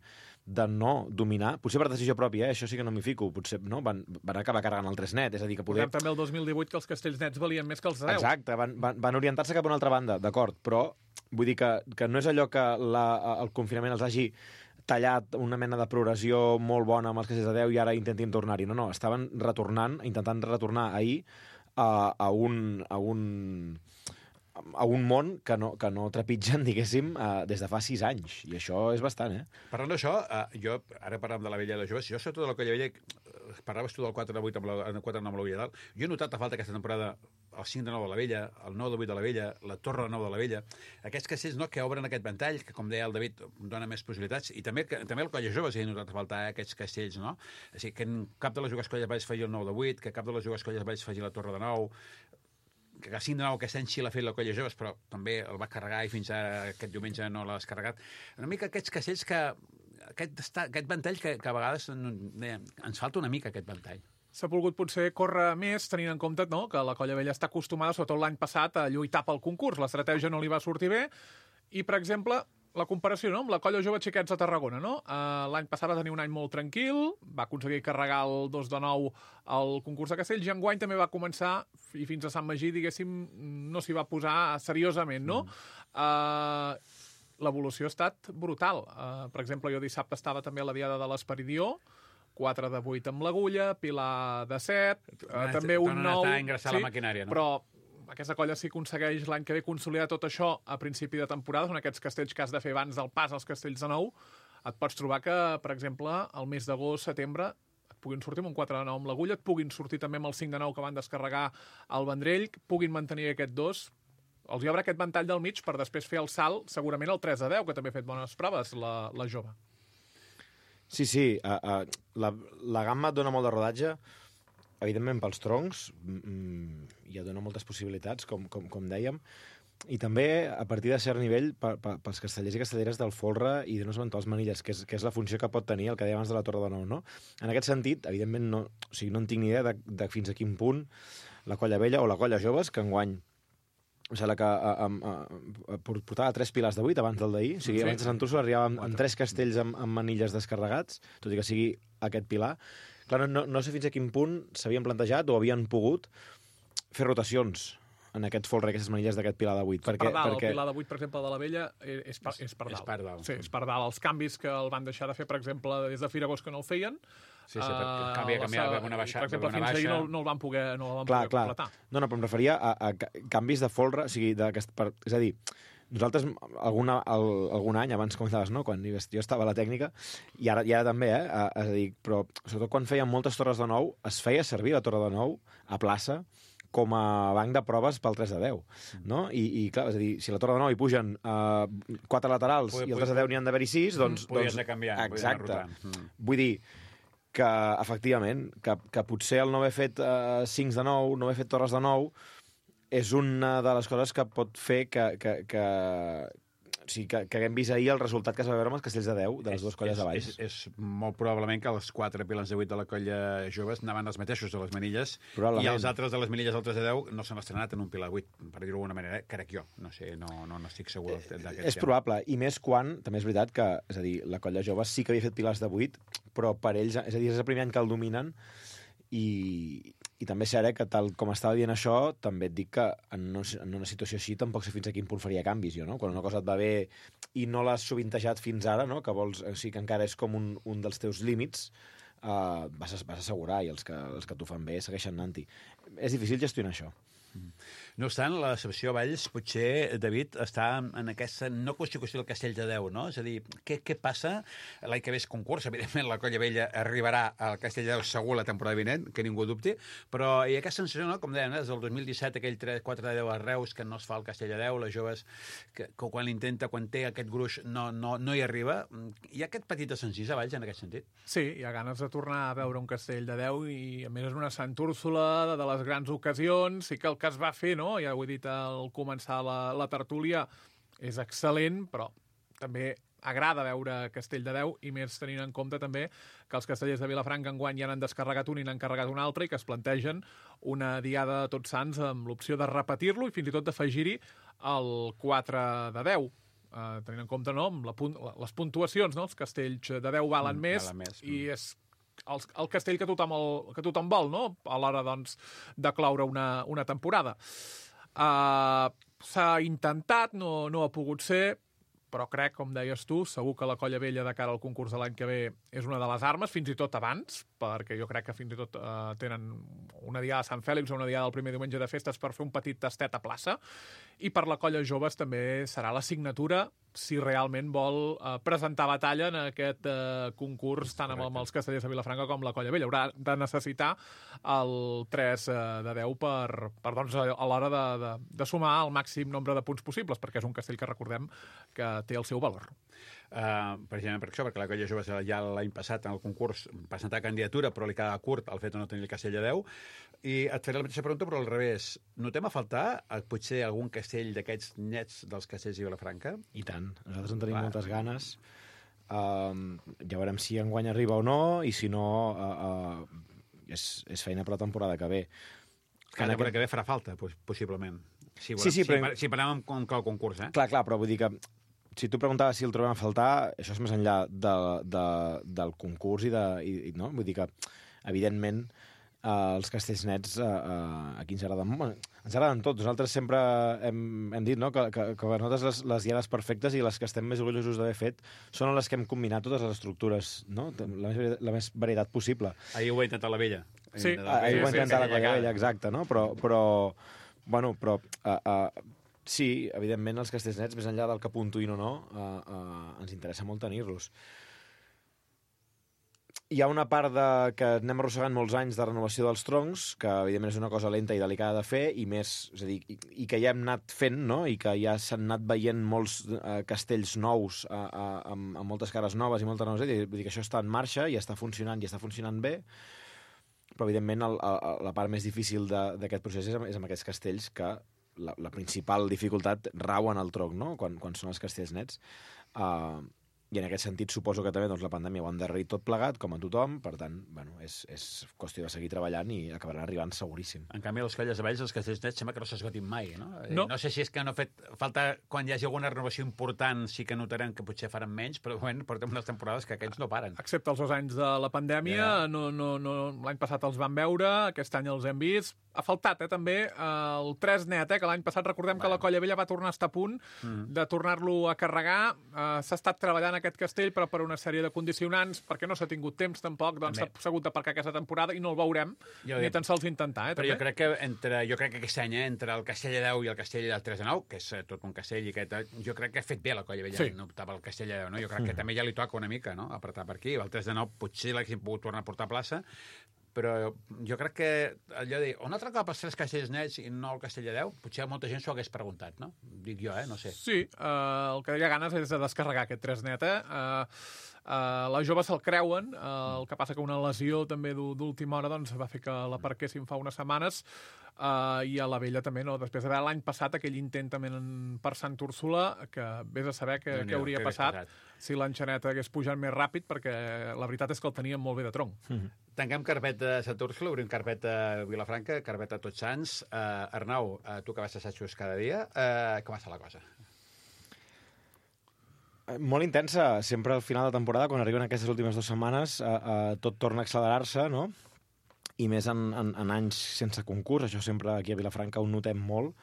de no dominar, potser per decisió pròpia, eh? Això sí que no m'hi fico, potser no? van, van acabar carregant el tres net, és a dir, que poder... També el dos mil divuit que els castells nets valien més que els de Déu. Exacte, van, van, van orientar-se cap a una altra banda, d'acord, però vull dir que, que no és allò que la, el confinament els hagi tallat una mena de progressió molt bona amb els castells de Déu i ara intentin tornar-hi. No, no, estaven retornant, intentant retornar ahir a, a un... A un a un món que no, que no trepitgen, diguéssim, uh, des de fa sis anys. I això és bastant, eh? Parlant d'això, uh, jo, ara parlem de la Vella i la Joves, jo sobretot de la Colla Vella, uh, parlaves tu del quatre de vuit amb la, el quatre de nou amb la Vella dalt, jo he notat a falta aquesta temporada el cinc de nou de la Vella, el nou de vuit de la Vella, la Torre de nou de la Vella, aquests castells no, que obren aquest ventall, que com deia el David, dona més possibilitats, i també, que, també el Colla Joves he notat a faltar, eh, aquests castells, no? O sigui, que cap de les jugues colles Valls faci el nou de vuit, que cap de les jugues colles Valls faci la Torre de nou, que el cinc de nou aquest any sí l'ha fet la Colla Joves, però també el va carregar i fins ara aquest diumenge no l'ha descarregat. Una mica aquests castells que... Aquest, aquest ventall que, que a vegades deia, ens falta una mica aquest ventall. S'ha volgut potser córrer més, tenint en compte no, que la Colla Vella està acostumada, sobretot l'any passat, a lluitar pel concurs. L'estratègia no li va sortir bé. I, per exemple, la comparació no, amb la Colla Jove Xiquets de Tarragona. No? Uh, l'any passat va tenir un any molt tranquil, va aconseguir carregar el dos de nou al concurs de castells, i enguany també va començar, i fins a Sant Magí, diguéssim, no s'hi va posar seriosament. No? Mm. Uh, L'evolució ha estat brutal. Uh, per exemple, jo dissabte estava també a la Diada de l'Esperidió, quatre de vuit amb l'Agulla, Pilar de set, uh, també un nou... Tornen a ingressar sí, la maquinària, no? Però aquesta colla si aconsegueix l'any que ve consolidar tot això a principi de temporada, són aquests castells que has de fer abans del pas als castells de nou, et pots trobar que, per exemple, el mes d'agost, setembre, et puguin sortir amb un quatre de nou amb l'Agulla, et puguin sortir també amb el cinc de nou que van descarregar al Vendrell, puguin mantenir aquest dos, els hi obre aquest ventall del mig per després fer el salt, segurament el tres de deu, que també ha fet bones proves, la, la jove. Sí, sí, uh, uh, la, la gamma et dona molt de rodatge, evidentment pels troncs, mm, ja dona moltes possibilitats, com, com, com dèiem, i també a partir de cert nivell pa, pa, pels castellers i castelleres del folre i de no eventuals manilles, que és, que és la funció que pot tenir el que deia abans de la Torre de Nou, no? En aquest sentit, evidentment, no, o sigui, no en tinc ni idea de, de fins a quin punt la Colla Vella o la Colla Joves, que enguany em sembla que a, a, a, a, portava tres pilars de vuit abans del d'ahir, o sigui, sí, abans de Sant Úrsula arribava amb, amb tres castells amb, amb manilles descarregats, tot i que sigui aquest pilar. Clar, no, no sé fins a quin punt s'havien plantejat o havien pogut fer rotacions en aquest folre, aquestes manilles d'aquest pilar de vuit. Perquè, per dalt, perquè... el pilar de vuit, per exemple, de la Vella, és per, és per dalt. És per dalt. Sí, és per dalt. Els canvis que el van deixar de fer, per exemple, des de Firagós que no el feien, sí, sí, uh, canvia, canvia, uh, una baixa, per exemple, una fins baixa... ahir no, no el van poder, no el van clar, poder clar. completar. No, no, però em referia a, a canvis de folre, o sigui, de, per, és a dir, nosaltres alguna, el, algun any, abans comentaves, no?, quan jo estava a la tècnica, i ara, i ara també, eh? A, és a dir, però sobretot quan feien moltes torres de nou, es feia servir la Torre de Nou a plaça com a banc de proves pel tres de deu, no? I, i clar, és a dir, si a la Torre de Nou hi pugen uh, quatre laterals Pui, i el tres de deu n'hi han d'haver-hi sis, doncs... Podies doncs, de canviar, exacte. Mm. Vull dir que, efectivament, que, que potser el no haver fet uh, cincs de nou, no haver fet torres de nou, és una de les coses que pot fer que, que, que, o sigui, que, que haguem vist ahir el resultat que es va veure amb els castells de deu de les dues colles de Valls. És, és, és molt probablement que els quatre pilars de vuit de la colla joves anaven els mateixos de les manilles i els altres de les manilles del tres de deu no s'han estrenat en un pilar vuit, per dir-ho d'alguna manera, crec jo. No sé, no, no, no estic segur d'aquest És tema. Probable, i més quan, també és veritat que, és a dir, la colla jove sí que havia fet pilars de vuit, però per ells, és a dir, és el primer any que el dominen, i, i també és cert, eh, que tal com estava dient això, també et dic que en una, en una situació així tampoc sé fins a quin punt faria canvis, jo, no? Quan una cosa et va bé i no l'has sovintejat fins ara, no? Que vols, o sigui, que encara és com un, un dels teus límits, uh, vas, vas assegurar, i els que, els que t'ho fan bé segueixen anant-hi. És difícil gestionar això. No obstant, la decepció a Valls, potser, David, està en aquesta no constitució del Castell de Déu, no? És a dir, què, què passa? L'any que ve és concurs, evidentment, la Colla Vella arribarà al Castell de Déu segur la temporada vinent, que ningú dubti, però hi ha aquesta sensació, no? Com dèiem, des del dos mil disset, aquell tres quatre de deu a Reus, que no es fa el Castell de Déu, les joves, que, que quan l'intenta, quan té aquest gruix, no, no, no hi arriba. Hi ha aquest petit desencís a Valls, en aquest sentit? Sí, hi ha ganes de tornar a veure un Castell de Déu, i a més és una Sant Úrsula de, de les grans ocasions, i que el que es va fer, no? Ja ho he dit al començar la, la tertúlia, és excel·lent, però també agrada veure Castell de Déu, i més tenint en compte també que els castellers de Vilafranca enguany ja n'han descarregat un i n'han carregat un altre, i que es plantegen una diada de Tots Sants amb l'opció de repetir-lo i fins i tot d'afegir-hi el quatre de deu. Uh, tenint en compte, no, amb la punt, les puntuacions, no? Els castells de deu valen mm, més, més mm. i és el, el castell que tothom, el, que tothom vol, no? A l'hora, doncs, de cloure una, una temporada. Uh, s'ha intentat, no, no ha pogut ser, però crec, com deies tu, segur que la Colla Vella de cara al concurs de l'any que ve és una de les armes, fins i tot abans, perquè jo crec que fins i tot uh, tenen una diada de Sant Fèlix o una diada del primer diumenge de festes per fer un petit tastet a plaça, i per la Colla Joves també serà la signatura si realment vol uh, presentar batalla en aquest uh, concurs tant amb, amb els castellers de Vilafranca com la Colla Vella. Haurà de necessitar el tres de deu per, per doncs, a l'hora de, de, de sumar el màxim nombre de punts possibles, perquè és un castell que recordem que té el seu valor. Uh, precisament per això, perquè la Colla Joves ja l'any passat en el concurs presentar candidatura, però li quedava curt el fet de no tenir el castell de deu. I et faré la mateixa pregunta, però al revés. Notem a faltar potser algun castell d'aquests nets dels castells de Vilafranca? I tant. Nosaltres en tenim Clar. moltes ganes. Uh, ja veurem si enguany arriba o no, i si no, uh, uh, és, és feina per la temporada que ve. Que la temporada aquest... que ve farà falta, possiblement. Si, volem, sí, sí, però... si, si parlem amb, amb el concurs, eh? Clar, clar, però vull dir que si tu preguntaves si el trobem a faltar, això és més enllà de, de, del concurs i de... I, no? Vull dir que, evidentment, eh, els castells nets eh, eh, aquí ens agraden molt. Ens agraden tots. Nosaltres sempre hem, hem dit, no?, que, que, que per nosaltres les, les diades perfectes i les que estem més orgullosos d'haver fet són les que hem combinat totes les estructures, no?, la més, la més varietat possible. Ahir ho ha intentat la Vella. Sí, ahir ho ha intentat la Colla Vella, exacte, no? Però, però bueno, però... Uh, uh, sí, evidentment, els castells nets, més enllà del que puntuïn o no, uh, uh, ens interessa molt tenir-los. Hi ha una part de, que anem arrossegant molts anys de renovació dels troncs, que evidentment és una cosa lenta i delicada de fer, i més, és a dir, i, i que ja hem anat fent, no?, i que ja s'han anat veient molts uh, castells nous uh, uh, amb, amb moltes cares noves i moltes noves, i vull dir que això està en marxa i està funcionant i està funcionant bé, però evidentment el, el, la part més difícil d'aquest procés és, és amb aquests castells que La, la principal dificultat rau en el tronc, no?, quan, quan són els castells nets. Uh, I en aquest sentit suposo que també doncs, la pandèmia ho ha endarrerit tot plegat, com a tothom, per tant, bueno, és, és qüestió de seguir treballant i acabaran arribant seguríssim. En canvi, les colles de valls, els castells nets, sembla que no s'esgotin mai, no? No. No sé si és que no ha fet falta, quan hi hagi alguna renovació important, sí que notarem que potser faran menys, però bueno, portem unes temporades que aquests no paren. Excepte els dos anys de la pandèmia, yeah. no, no, no, l'any passat els vam veure, aquest any els hem vist. Ha faltat, eh, també, el tres net, eh, que l'any passat recordem bueno. que la Colla Vella va tornar a estar a punt mm. de tornar-lo a carregar. Uh, s'ha estat treballant aquest castell, però per una sèrie de condicionants, perquè no s'ha tingut temps tampoc, doncs s'ha hagut d'aparcar aquesta temporada i no el veurem, jo ni tan sols intentar. Eh, però també. jo crec que entre, jo crec que aquest any, eh, entre el castell de deu i el castell del tres de nou, que és tot un castell, i aquest, jo crec que ha fet bé la Colla Vella, sí. no optar pel castell de deu, no? Jo crec mm. que també ja li toca una mica, no?, apretar per aquí. El tres de nou potser l'haguessin pogut tornar a portar a plaça, però jo crec que allò de dir, on altre cop els tres castells nets i no el castell de deu, potser molta gent s'ho hagués preguntat, no? Dic jo, eh? No sé. Sí, uh, el que hi ha ganes és de descarregar aquest tres net, eh? Uh, uh, les joves se'l creuen, uh, el que passa que una lesió també d'última hora doncs, va fer que l'aparquessin fa unes setmanes, Uh, i a la Vella també, no? Després d'haver l'any passat aquell intent també per Sant Úrsula, que vés a saber què, no, què hauria que passat, passat si l'enxanet hagués pujat més ràpid, perquè la veritat és que el teníem molt bé de tronc. Mm-hmm. Tanquem carpeta a Sant Úrsula, obrim carpeta a Vilafranca, carpeta a Tots Sants. Uh, Arnau, uh, tu que vas a assajos cada dia, uh, com va ser la cosa? Molt intensa. Sempre al final de temporada, quan arriben aquestes últimes dues setmanes, uh, uh, tot torna a accelerar-se, no?, i més en, en, en anys sense concurs. Això sempre aquí a Vilafranca ho notem molt.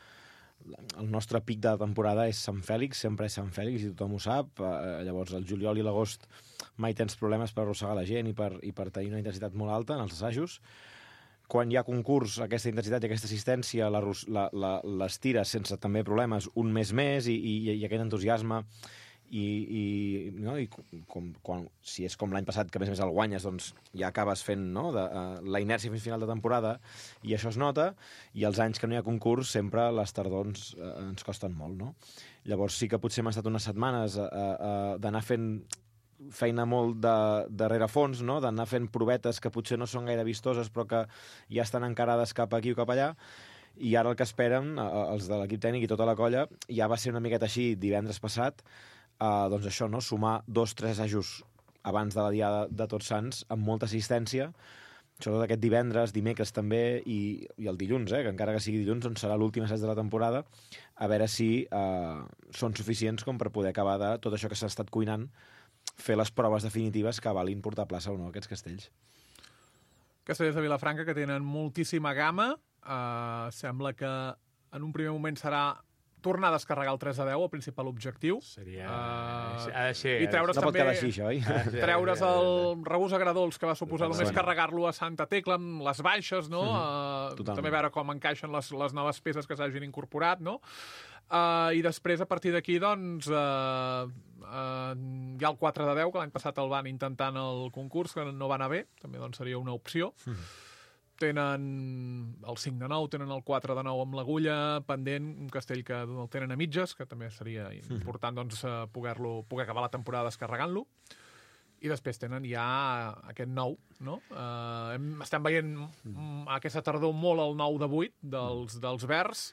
El nostre pic de temporada és Sant Fèlix, sempre és Sant Fèlix, i tothom ho sap. Eh, llavors, el juliol i l'agost mai tens problemes per arrossegar la gent i per, i per tenir una intensitat molt alta en els assajos. Quan hi ha concurs, aquesta intensitat i aquesta assistència les tires sense també problemes un mes més, i, i, i aquest entusiasme i, i, no? I com, quan, si és com l'any passat, que a més a més el guanyes, doncs ja acabes fent, no?, de, uh, la inèrcia fins final de temporada, i això es nota, i els anys que no hi ha concurs sempre les tardors uh, ens costen molt, no? Llavors sí que potser hem estat unes setmanes uh, uh, d'anar fent feina molt de, de rerefons, no?, d'anar fent provetes que potser no són gaire vistoses però que ja estan encarades cap aquí o cap allà, i ara el que esperen els de l'equip tècnic i tota la colla ja va ser una miqueta així divendres passat, uh, doncs això, no? Sumar dos, tres assajos abans de la diada de Tots Sants amb molta assistència, sobretot aquest divendres, dimecres també, i, i el dilluns, eh, que encara que sigui dilluns, doncs serà l'últim assaig de la temporada, a veure si eh, són suficients com per poder acabar de tot això que s'ha estat cuinant, fer les proves definitives que valin portar a plaça o no aquests castells. Castellers de Vilafranca, que tenen moltíssima gamma. Uh, sembla que en un primer moment serà tornar a descarregar el tres a deu, el principal objectiu. Seria... Uh, ha de ser... I treure's no també... pot quedar així, això, oi? Treure's el regús agradols que va suposar només Bueno. carregar-lo a Santa Tecla amb les baixes, no? Mm-hmm. Uh, també veure com encaixen les, les noves peces que s'hagin incorporat, no? Uh, I després, a partir d'aquí, doncs, uh, uh, hi ha el quatre de deu, que l'any passat el van intentar en el concurs, que no va anar bé, també doncs, seria una opció. Mm. Tenen el cinc de nou, tenen el quatre de nou amb l'agulla, pendent, un castell que el tenen a mitges, que també seria important doncs, poder-lo poder acabar la temporada descarregant-lo. I després tenen ja aquest nou, no? Uh, hem, estem veient mm, aquesta tardor molt el nou de vuit dels, dels verds,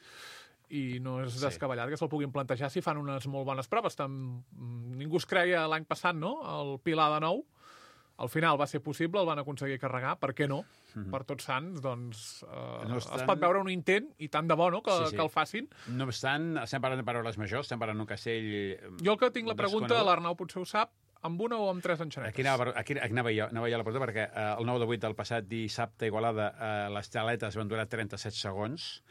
i no és Sí. descabellat que se'l puguin plantejar si fan unes molt bones proves. Tam... Ningú es creia l'any passat, no?, el Pilar de nou. Al final va ser possible, el van aconseguir carregar, per què no? Mm-hmm. Per Tots Sants, doncs, eh, No estan... es pot veure un intent, i tant de bo, no?, que, Sí, sí. que el facin. No obstant, estem parlant de paraules majors, estem parlant d'un castell... Jo el que tinc la pregunta, desconegut. l'Arnau potser ho sap, amb una o amb tres enxanetes? Aquí anava, aquí, aquí anava, jo, anava jo a la porta, perquè eh, el nou de vuit del passat dissabte a Igualada eh, les taletes van durar trenta-set segons.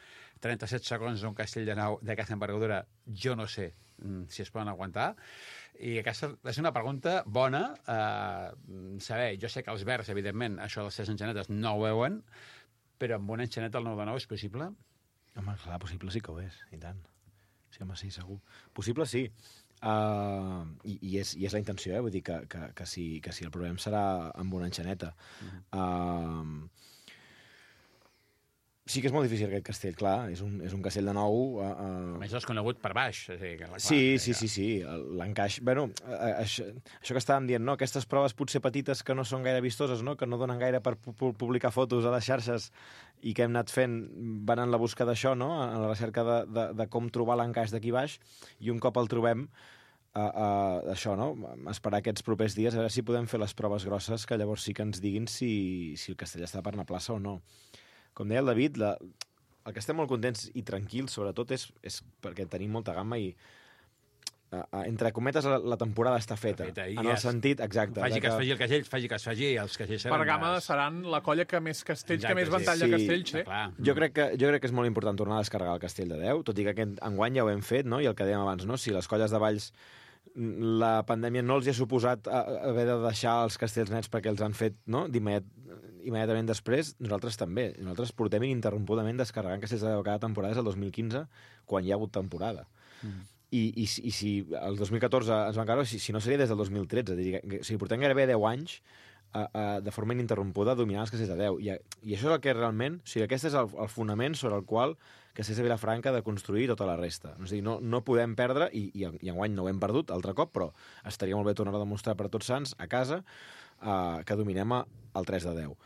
trenta-set segons d'un castell de nau d'aquesta envergadura, jo no sé mm, si es poden aguantar. I aquesta és una pregunta bona. Eh, saber, jo sé que els verds, evidentment, això de les tres enxanetes no ho veuen, però amb una enxaneta el nou de nou és possible? Home, clar, possible sí que ho és, i tant. Sí, home, sí, segur. Possible sí. Uh, i, i, és, I és la intenció, eh? Vull dir que, que, que, si, que si el problema serà amb una enxaneta. Mm. Uh, sí que és molt difícil aquest castell, clar. És un, és un castell de nou... Uh, uh... A més, desconegut per baix. O sigui, que, clar, Sí, que, sí, sí, sí. L'encaix... Bueno, això, això que estàvem dient, no? Aquestes proves potser petites que no són gaire vistoses, no? Que no donen gaire per pu publicar fotos a les xarxes i que hem anat fent, van en la busca d'això, no? En la recerca de, de, de com trobar l'encaix d'aquí baix, i un cop el trobem, uh, uh, això, no? Esperar aquests propers dies, a veure si podem fer les proves grosses, que llavors sí que ens diguin si, si el castell està per anar a plaça o no. Com deia el David, la, el que estem molt contents i tranquils, sobretot, és, és perquè tenim molta gamma i, uh, uh, entre cometes, la, la temporada està feta. feta en el sentit, exacte. Faci de que es faci el castell, faci que es faci, els castells seran... Per gamma seran la colla que més castells, Exacte, que més sí. ventall Sí, de castells té. clar. Jo crec, que, jo crec que és molt important tornar a descarregar el castell de deu, tot i que aquest enguany ja ho hem fet, no? I el que dèiem abans, no? Si les colles de Valls la pandèmia no els hi ha suposat a, a haver de deixar els castells nets perquè els han fet, no?, d'immediat, immediatament després, nosaltres també. Nosaltres portem ininterrompudament descarregant castells de deu cada temporada des del dos mil quinze, quan hi ha hagut temporada. Mm. I, i, I si el dos mil catorze ens van caure, si, si no seria des del dos mil tretze. Dir, que, o sigui, portem gairebé deu anys a, a, de forma ininterrompuda dominant els castells de deu. I, I això és el que realment... O sigui, aquest és el, el fonament sobre el qual Castells de Vilafranca de construir tota la resta. O sigui, no, no podem perdre, i, i, i enguany no ho hem perdut altre cop, però estaria molt bé tornar a demostrar per Tots Sants a casa uh, que dominem el tres de deu.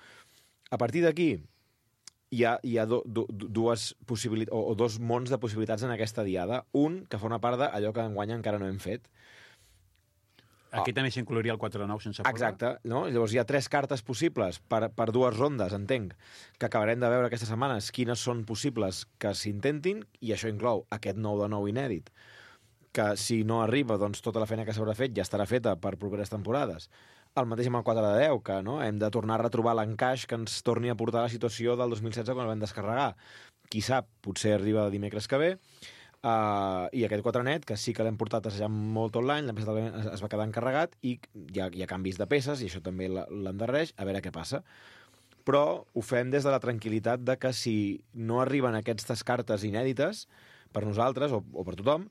A partir d'aquí hi ha, hi ha do, do, dues possibilitats, o, o dos mons de possibilitats en aquesta diada. Un, que forma part d'allò que enguany encara no hem fet. Aquí oh. també s'inclouria el quatre de nou sense porra. Exacte. No? Llavors hi ha tres cartes possibles per, per dues rondes, entenc, que acabarem de veure aquestes setmanes quines són possibles que s'intentin, i això inclou aquest nou de nou inèdit, que si no arriba, doncs tota la feina que s'haurà fet ja estarà feta per properes temporades. El mateix amb el quatre de deu, que no? Hem de tornar a retrobar l'encaix que ens torni a portar a la situació del dos mil setze quan el vam descarregar. Qui sap, potser arriba dimecres que ve. Uh, I aquest quatre net, que sí que l'hem portat assajant molt tot l'any, es va quedar encarregat i hi ha, hi ha canvis de peces, i això també l'endarreix, a veure què passa. Però ho fem des de la tranquil·litat de que si no arriben aquestes cartes inèdites, per nosaltres o, o per tothom,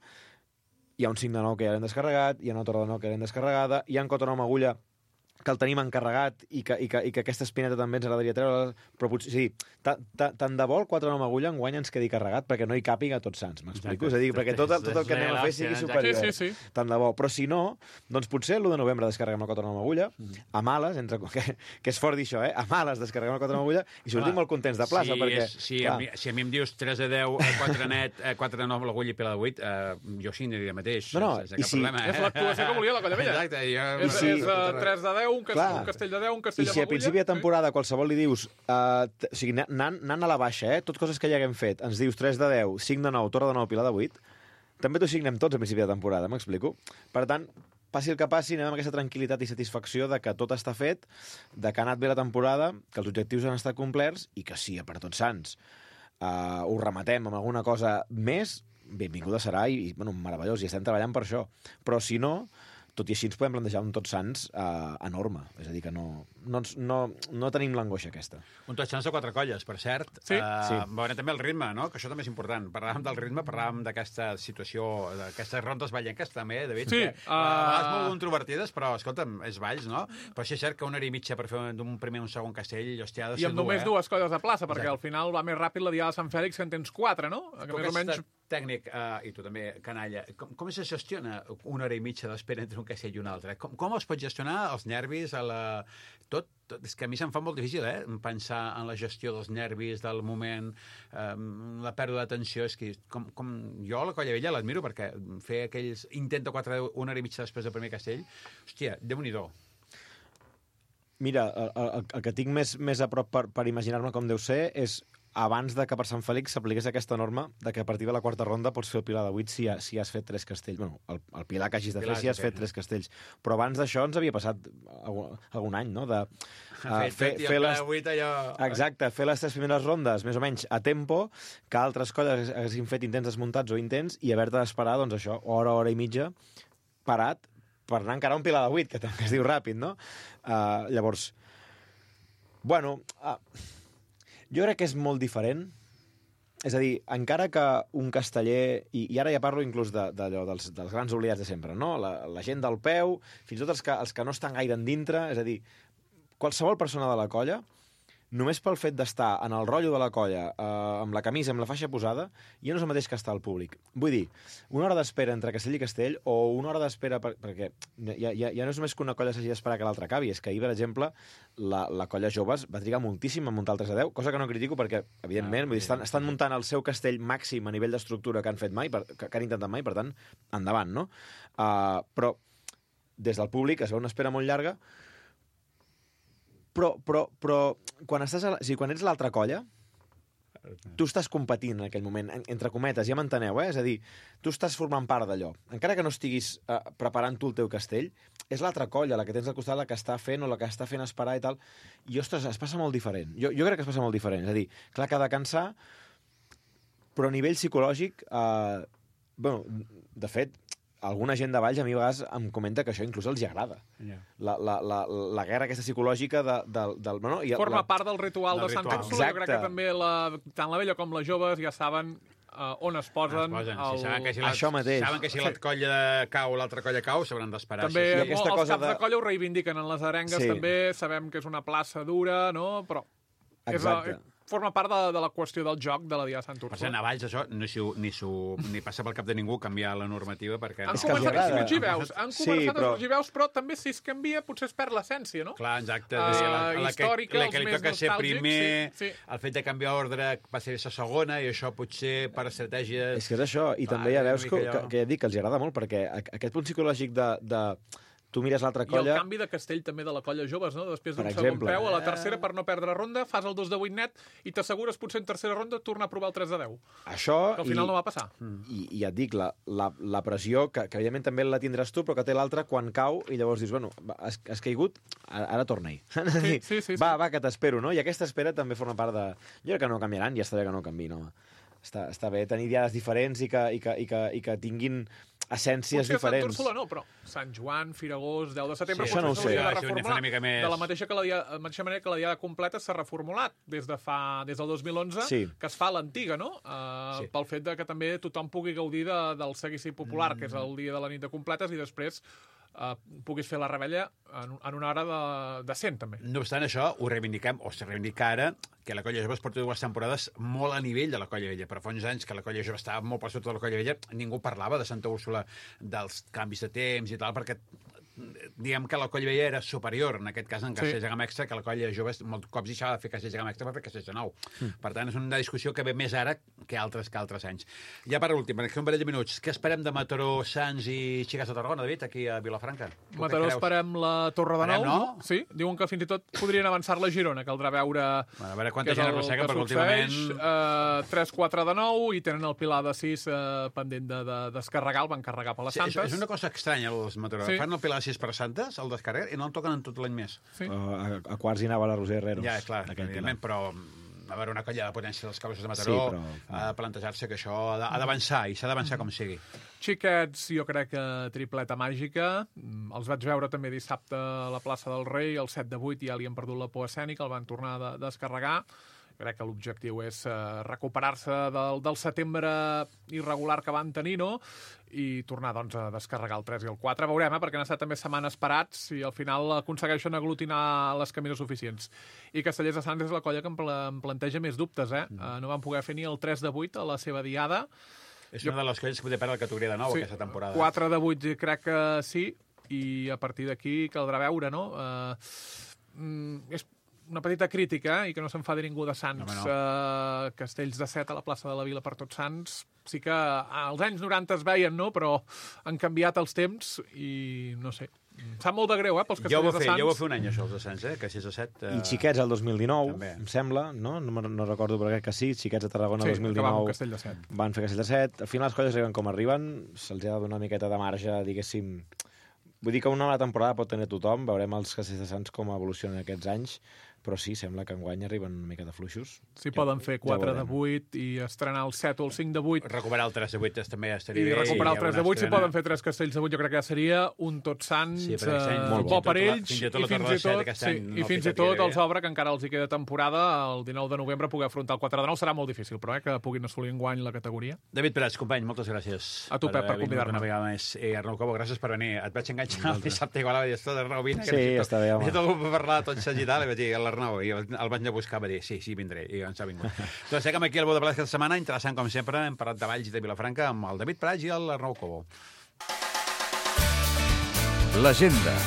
hi ha un cinc de nou que ja l'hem descarregat, hi ha una torre de nou que l'hem descarregada, hi ha un quatre de nou amb agulla que el tenim encarregat i que, i que, i que aquesta espineta també ens agradaria treure, però potser, sí, tant de bo el quatre nou amb agulla enguany ens quedi carregat perquè no hi càpiga Tots Sants, m'explico? És a dir, perquè tot, tot el que anem a fer sigui superior. Sí, sí, sí. Tant de bo. Però si no, doncs potser l'u de novembre descarreguem el quatre nou amb agulla, a males, entre, que, que és fort dir això, eh? A males descarreguem el quatre nou amb agulla i sortim molt contents de plaça, si perquè... És, si, a mi, si a mi em dius tres a deu, quatre net, quatre nou amb l'agulla i pila de vuit, eh, jo sí aniria mateix. No, no, sense cap si... problema, eh? És l'actuació que volia la Colla Vella. Exacte. Jo... És, si... és uh, tres de deu, un, castell, un castell de deu, un castell I si a principi de temporada qualsevol li dius, uh, o sigui, anant, anant a la baixa, eh, tot coses que ja haguem fet, ens dius tres de deu, cinc de nou, torre de nou, pilar de vuit, també t'ho signem tots a principi de temporada, m'explico? Per tant, passi el que passi, anem amb aquesta tranquil·litat i satisfacció de que tot està fet, de que ha anat bé la temporada, que els objectius han estat complerts i que sí, per Tots Sants, uh, ho rematem amb alguna cosa més, benvinguda serà i, i bueno, meravellós, i estem treballant per això. Però si no, tot i així ens podem plantejar un Tots Sants eh, enorme. És a dir, que no, no, no, no tenim l'angoixa aquesta. Un Tots Sants de quatre colles, per cert. Sí. Uh, sí. Veurem també el ritme, no? Que això també és important. Parlàvem del ritme, parlàvem d'aquesta situació, d'aquestes rondes ballenques també, David, sí, que uh... a vegades molt controvertides, però, escolta'm, és valls, no? Però sí és cert que una hora i mitja per fer d'un primer o un segon castell, hòstia, ha de ser I amb dur, només eh? dues colles de plaça, perquè Exacte. al final va més ràpid la Diada de Sant Fèlix que en tens quatre, no? Que Tu més o menys... tècnic, uh, i tu també, canalla, com, com se gestiona una hora i mitja d'espera entre un castell i un altre? Com, com es pot gestionar els nervis, a la... tot, tot? És que a mi se'm fa molt difícil, eh? Pensar en la gestió dels nervis, del moment, um, la pèrdua d'atenció. És que, com, com... jo a la Colla Vella l'admiro perquè fer aquells intent de quatre, una hora i mitja després del primer castell, hòstia, déu-n'hi-do. Mira, el, el, el que tinc més, més a prop per, per imaginar-me com deu ser és abans de que per Sant Fèlix s'apliqués aquesta norma de que a partir de la quarta ronda pots fer el pilar de vuit si, ha, si has fet tres castells. Bueno, el, el pilar que hagis de fer si has fet tres castells. Però abans d'això ens havia passat algun, algun any, no? De, uh, fer fer, fer les... vuit, allò... Exacte, fer les tres primeres rondes més o menys a tempo, que altres colles haguessin fet intents desmuntats o intents i haver-te d'esperar, doncs això, hora, hora i mitja, parat, per anar encara un pilar de vuit, que, que es diu ràpid, no? Uh, llavors, bueno... Uh, jo crec que és molt diferent. És a dir, encara que un casteller, i, i ara ja parlo inclús de, de, de, dels, dels grans oblidats de sempre, no? La, la gent del peu, fins i tot els que, els que no estan gaire en dintre, és a dir, qualsevol persona de la colla, només pel fet d'estar en el rotllo de la colla, eh, amb la camisa, amb la faixa posada, ja no és el mateix que estar al públic. Vull dir, una hora d'espera entre castell i castell, o una hora d'espera, per, perquè ja, ja, ja no és només que una colla s'hagi d'esperar que l'altra acabi, és que ahir, per exemple, la, la colla joves va trigar moltíssim a muntar el tres a deu, cosa que no critico perquè, evidentment, ah, vull dir, estan, estan muntant el seu castell màxim a nivell d'estructura que han fet mai, per, que, que han intentat mai, per tant, endavant, no? Uh, però, des del públic, es veu una espera molt llarga, Però, però, però quan, estàs a la... o sigui, quan ets l'altra colla, tu estàs competint en aquell moment, entre cometes, ja m'enteneu, eh? És a dir, tu estàs formant part d'allò. Encara que no estiguis eh, preparant tu el teu castell, és l'altra colla, la que tens al costat, la que està fent o la que està fent esperar i tal. I, ostres, es passa molt diferent. Jo, jo crec que es passa molt diferent. És a dir, clar que ha de cansar, però a nivell psicològic, eh, bueno, de fet, alguna gent de Valls a mi a vegades em comenta que això inclús els hi agrada. Yeah. La, la, la, la guerra aquesta psicològica de, de, del... Bueno, i Forma la... part del ritual del de Sant Úrsula. Jo crec que també la, tant la vella com les joves ja saben uh, on es posen. Es posen. El... Sí, saben que si això la, mateix. Saben que si la colla cau, l'altra colla cau, s'hauran d'esperar. També sí, sí. Els cosa caps de... de colla ho reivindiquen en les arengues, sí. també sabem que és una plaça dura, no? Però exacte. És, forma part de, de la qüestió del joc de la Diada de Sant Úrsula. Per cert, a Valls això ni, si, ni, su, ni passa pel cap de ningú canviar la normativa perquè... Han és començat a sorgir veus, han sí, començat però... a sorgir veus, però també si es canvia potser es perd l'essència, no? Clar, exacte. Uh, la, la, històrica, la que, la que li toca ser primer, sí, sí. El fet de canviar ordre va ser la segona, i això potser per estratègia... És que és això, i clar, també ja veus que, allò... que, que ja dic que els agrada molt, perquè aquest punt psicològic de... de... tu mires l'altra colla... I el canvi de castell també de la colla joves, no? Després d'un segon exemple, peu, a la tercera, per no perdre ronda, fas el dos de vuit net i t'assegures potser en tercera ronda tornar a provar el tres de deu. Això... Que al final i, no va passar. I, i ja et dic, la, la, la pressió, que, que evidentment també la tindràs tu, però que té l'altra quan cau, i llavors dius, bueno, has, has caigut, ara, ara torna-hi. Sí, sí, sí, va, sí. va, que t'espero, no? I aquesta espera també forma part de... Jo crec que no canviaran, ja està bé que no canvi, no? Està, està bé tenir diades diferents i que, i que, i que, i que tinguin essències potser diferents. Potser Sant Úrsula no, però Sant Joan, Firagós, deu de setembre... Sí, això no ho sé. De, reformular, de la mateixa, que la dia, la mateixa manera que la diada completa s'ha reformulat des, de fa, des del dos mil onze, sí. que es fa l'antiga, no? Uh, sí. Pel fet de que també tothom pugui gaudir de, del seguici popular, mm. que és el dia de la nit de completes, i després eh, puguis fer la rebella en, en una hora de, decent, també. No obstant això, ho reivindiquem, o se reivindica ara, que la Colla Jove es porta dues temporades molt a nivell de la Colla Vella. Però fa uns anys que la Colla Jove estava molt per sota de la Colla Vella, ningú parlava de Santa Úrsula, dels canvis de temps i tal, perquè diguem que la Colla Vella era superior, en aquest cas en Castells de Gamma Extra, que la Colla Jove molts cops deixava de fer Castells de Gamma Extra per fer Castells de Nou. Mm. Per tant, és una discussió que ve més ara que altres que altres anys. Ja per últim, en un parell de minuts, què esperem de Mataró, Sants i Xiques de Tarragona, David, aquí a Vilafranca? Mataró esperem la Torre de Nou, no? Sí, diuen que fins i tot podrien avançar-la a Girona, caldrà veure... Bueno, a veure quanta gent arrossega, perquè últimament... Uh, tres quatre de nou i tenen el Pilar de sis uh, pendent de, de descarregar, el van carregar per les sí, Santes. És, és una cosa estranya, els Mataró. Sí. Fan el Pilar de sis per Santes, el descarreguen, i no el toquen en tot l'any més. Sí. Uh, a, a quarts hi anava la Roser Herreros. Ja, clar, evidentment, però a veure, una colla de potència dels Cabossos de Mataró sí, però... ha de plantejar-se que això ha d'avançar, i s'ha d'avançar com sigui. Xiquets, jo crec que tripleta màgica. Els vaig veure també dissabte a la plaça del Rei, el set de vuit, ja li han perdut la por escènica, el van tornar a de descarregar. Crec que l'objectiu és uh, recuperar-se del, del setembre irregular que van tenir, no?, i tornar, doncs, a descarregar el tres i el quatre. Veurem, eh?, perquè han estat també setmanes parats i al final aconsegueixen aglutinar les camines suficients. I Castellers de Sants és la colla que em, pla em planteja més dubtes, eh? Mm. Uh, no van poder fer ni el tres de vuit a la seva diada. És una de les colles que poder perdre la categoria de nou sí, aquesta temporada. quatre de vuit crec que sí, i a partir d'aquí caldrà veure, no? Uh, mm, és una petita crítica, eh, i que no s'enfadi ningú de Sants. No, no. Uh, Castells de set a la plaça de la Vila per Tots Sants. Sí que als anys noranta es veien, no?, però han canviat els temps i no sé. Sap molt de greu, eh, pels Castells de Sants. Jo ho va fer un any, això, els de Sants, eh, Castells de set. Uh... I Xiquets el dos mil dinou, també. Em sembla, no? No, no recordo, però crec que sí. Xiquets de Tarragona el sí, dos mil dinou van, Castell de set. van fer Castell de set. Al final les colles arriben com arriben, se'ls ha de donar una miqueta de marge, diguéssim. Vull dir que una mala temporada pot tenir tothom, veurem els Castells de Sants com evolucionen aquests anys, però sí, sembla que enguany arriben una mica de fluixos. Sí, ja, poden fer quatre ja de vuit i estrenar el set o el cinc de vuit. Recuperar el tres de vuit també estaria I bé. I recuperar el tres de vuit, si poden fer tres Castells de vuit, jo crec que ja seria un Tots Sants sí, eh, molt bo per ells, i fins i tot, sí, i fins i tot els obre, que encara els hi queda temporada, el dinou de novembre poder afrontar el quatre de nou. Serà molt difícil, però, eh, que puguin assolir enguany la categoria. David Prats, company, moltes gràcies. A tu, Pep, per convidar-me. Una vegada més. I Arnau Cobo, gràcies per venir. Et vaig enganxar el dissabte igual a dir, Arnau, vine. Sí, està bé, home. Necessito algú per parlar de tot seguit i tal, i vaig dir, l'Arnau, i el vaig anar a buscar, va dir, sí, sí, vindré, i ens ha vingut. Doncs seguim aquí al Bo de Plats aquesta setmana, interessant com sempre, hem parlat de Valls i de Vilafranca amb el David Prats i l'Arnau Cobo. L'agenda.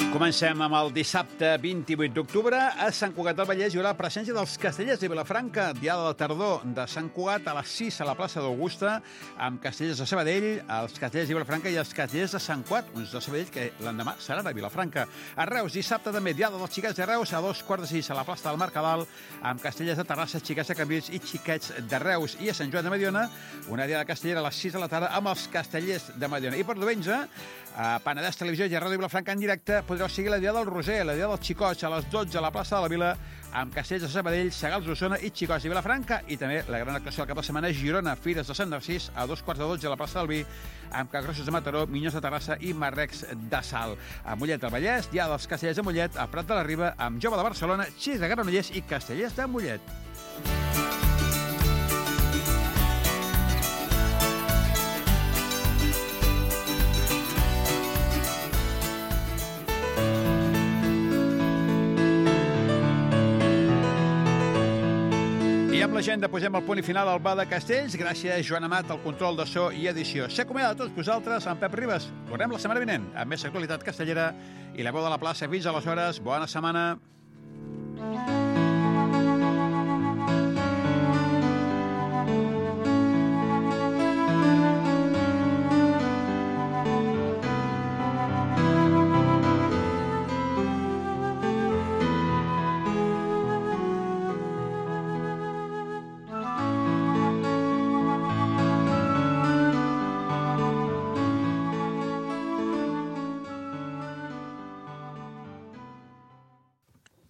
Comencem amb el dissabte vint-i-vuit d'octubre. A Sant Cugat del Vallès hi haurà la presència dels Castellers de Vilafranca, diada de tardor de Sant Cugat a les sis a la plaça d'Augusta, amb Castellers de Sabadell, els Castellers de Vilafranca i els Castellers de Sant Cugat, uns de Sabadell que l'endemà serà de Vilafranca. A Reus, dissabte també, diada dels Xiquets de Reus, a dos quarts de sis a la plaça del Mercadal, amb Castellers de Terrassa, Xiquets de Cambrils i Xiquets de Reus. I a Sant Joan de Mediona, una diada castellera a les sis de la tarda amb els Castellers de Mediona. I per diumenge, a Penedès Televisió i a Ràdio Vilafranca en directe podreu seguir la diada del Roser, la diada dels Xicots, a les dotze a la plaça de la Vila, amb Castells de Sabadell, Segals d'Osona i Xicots de Vilafranca, i també la gran actuació del cap de setmana Girona, Fires de Sant Narcís, a dos quarts de dotze a la plaça del Vi, amb Cagrossos de Mataró, Minyons de Terrassa i Marrecs de Sal. A Mollet del Vallès, diada dels Castellers de Mollet, a Prat de la Riba, amb Jove de Barcelona, Xis de Granollers i Castellers de Mollet. I amb l'agenda posem el punt i final al Bar de Castells. Gràcies, Joan Amat, al control de so i edició. S'acomiada de tots vosaltres, amb Pep Ribas. Tornem la setmana vinent amb més actualitat castellera i la veu de la plaça. Fins aleshores, bona setmana.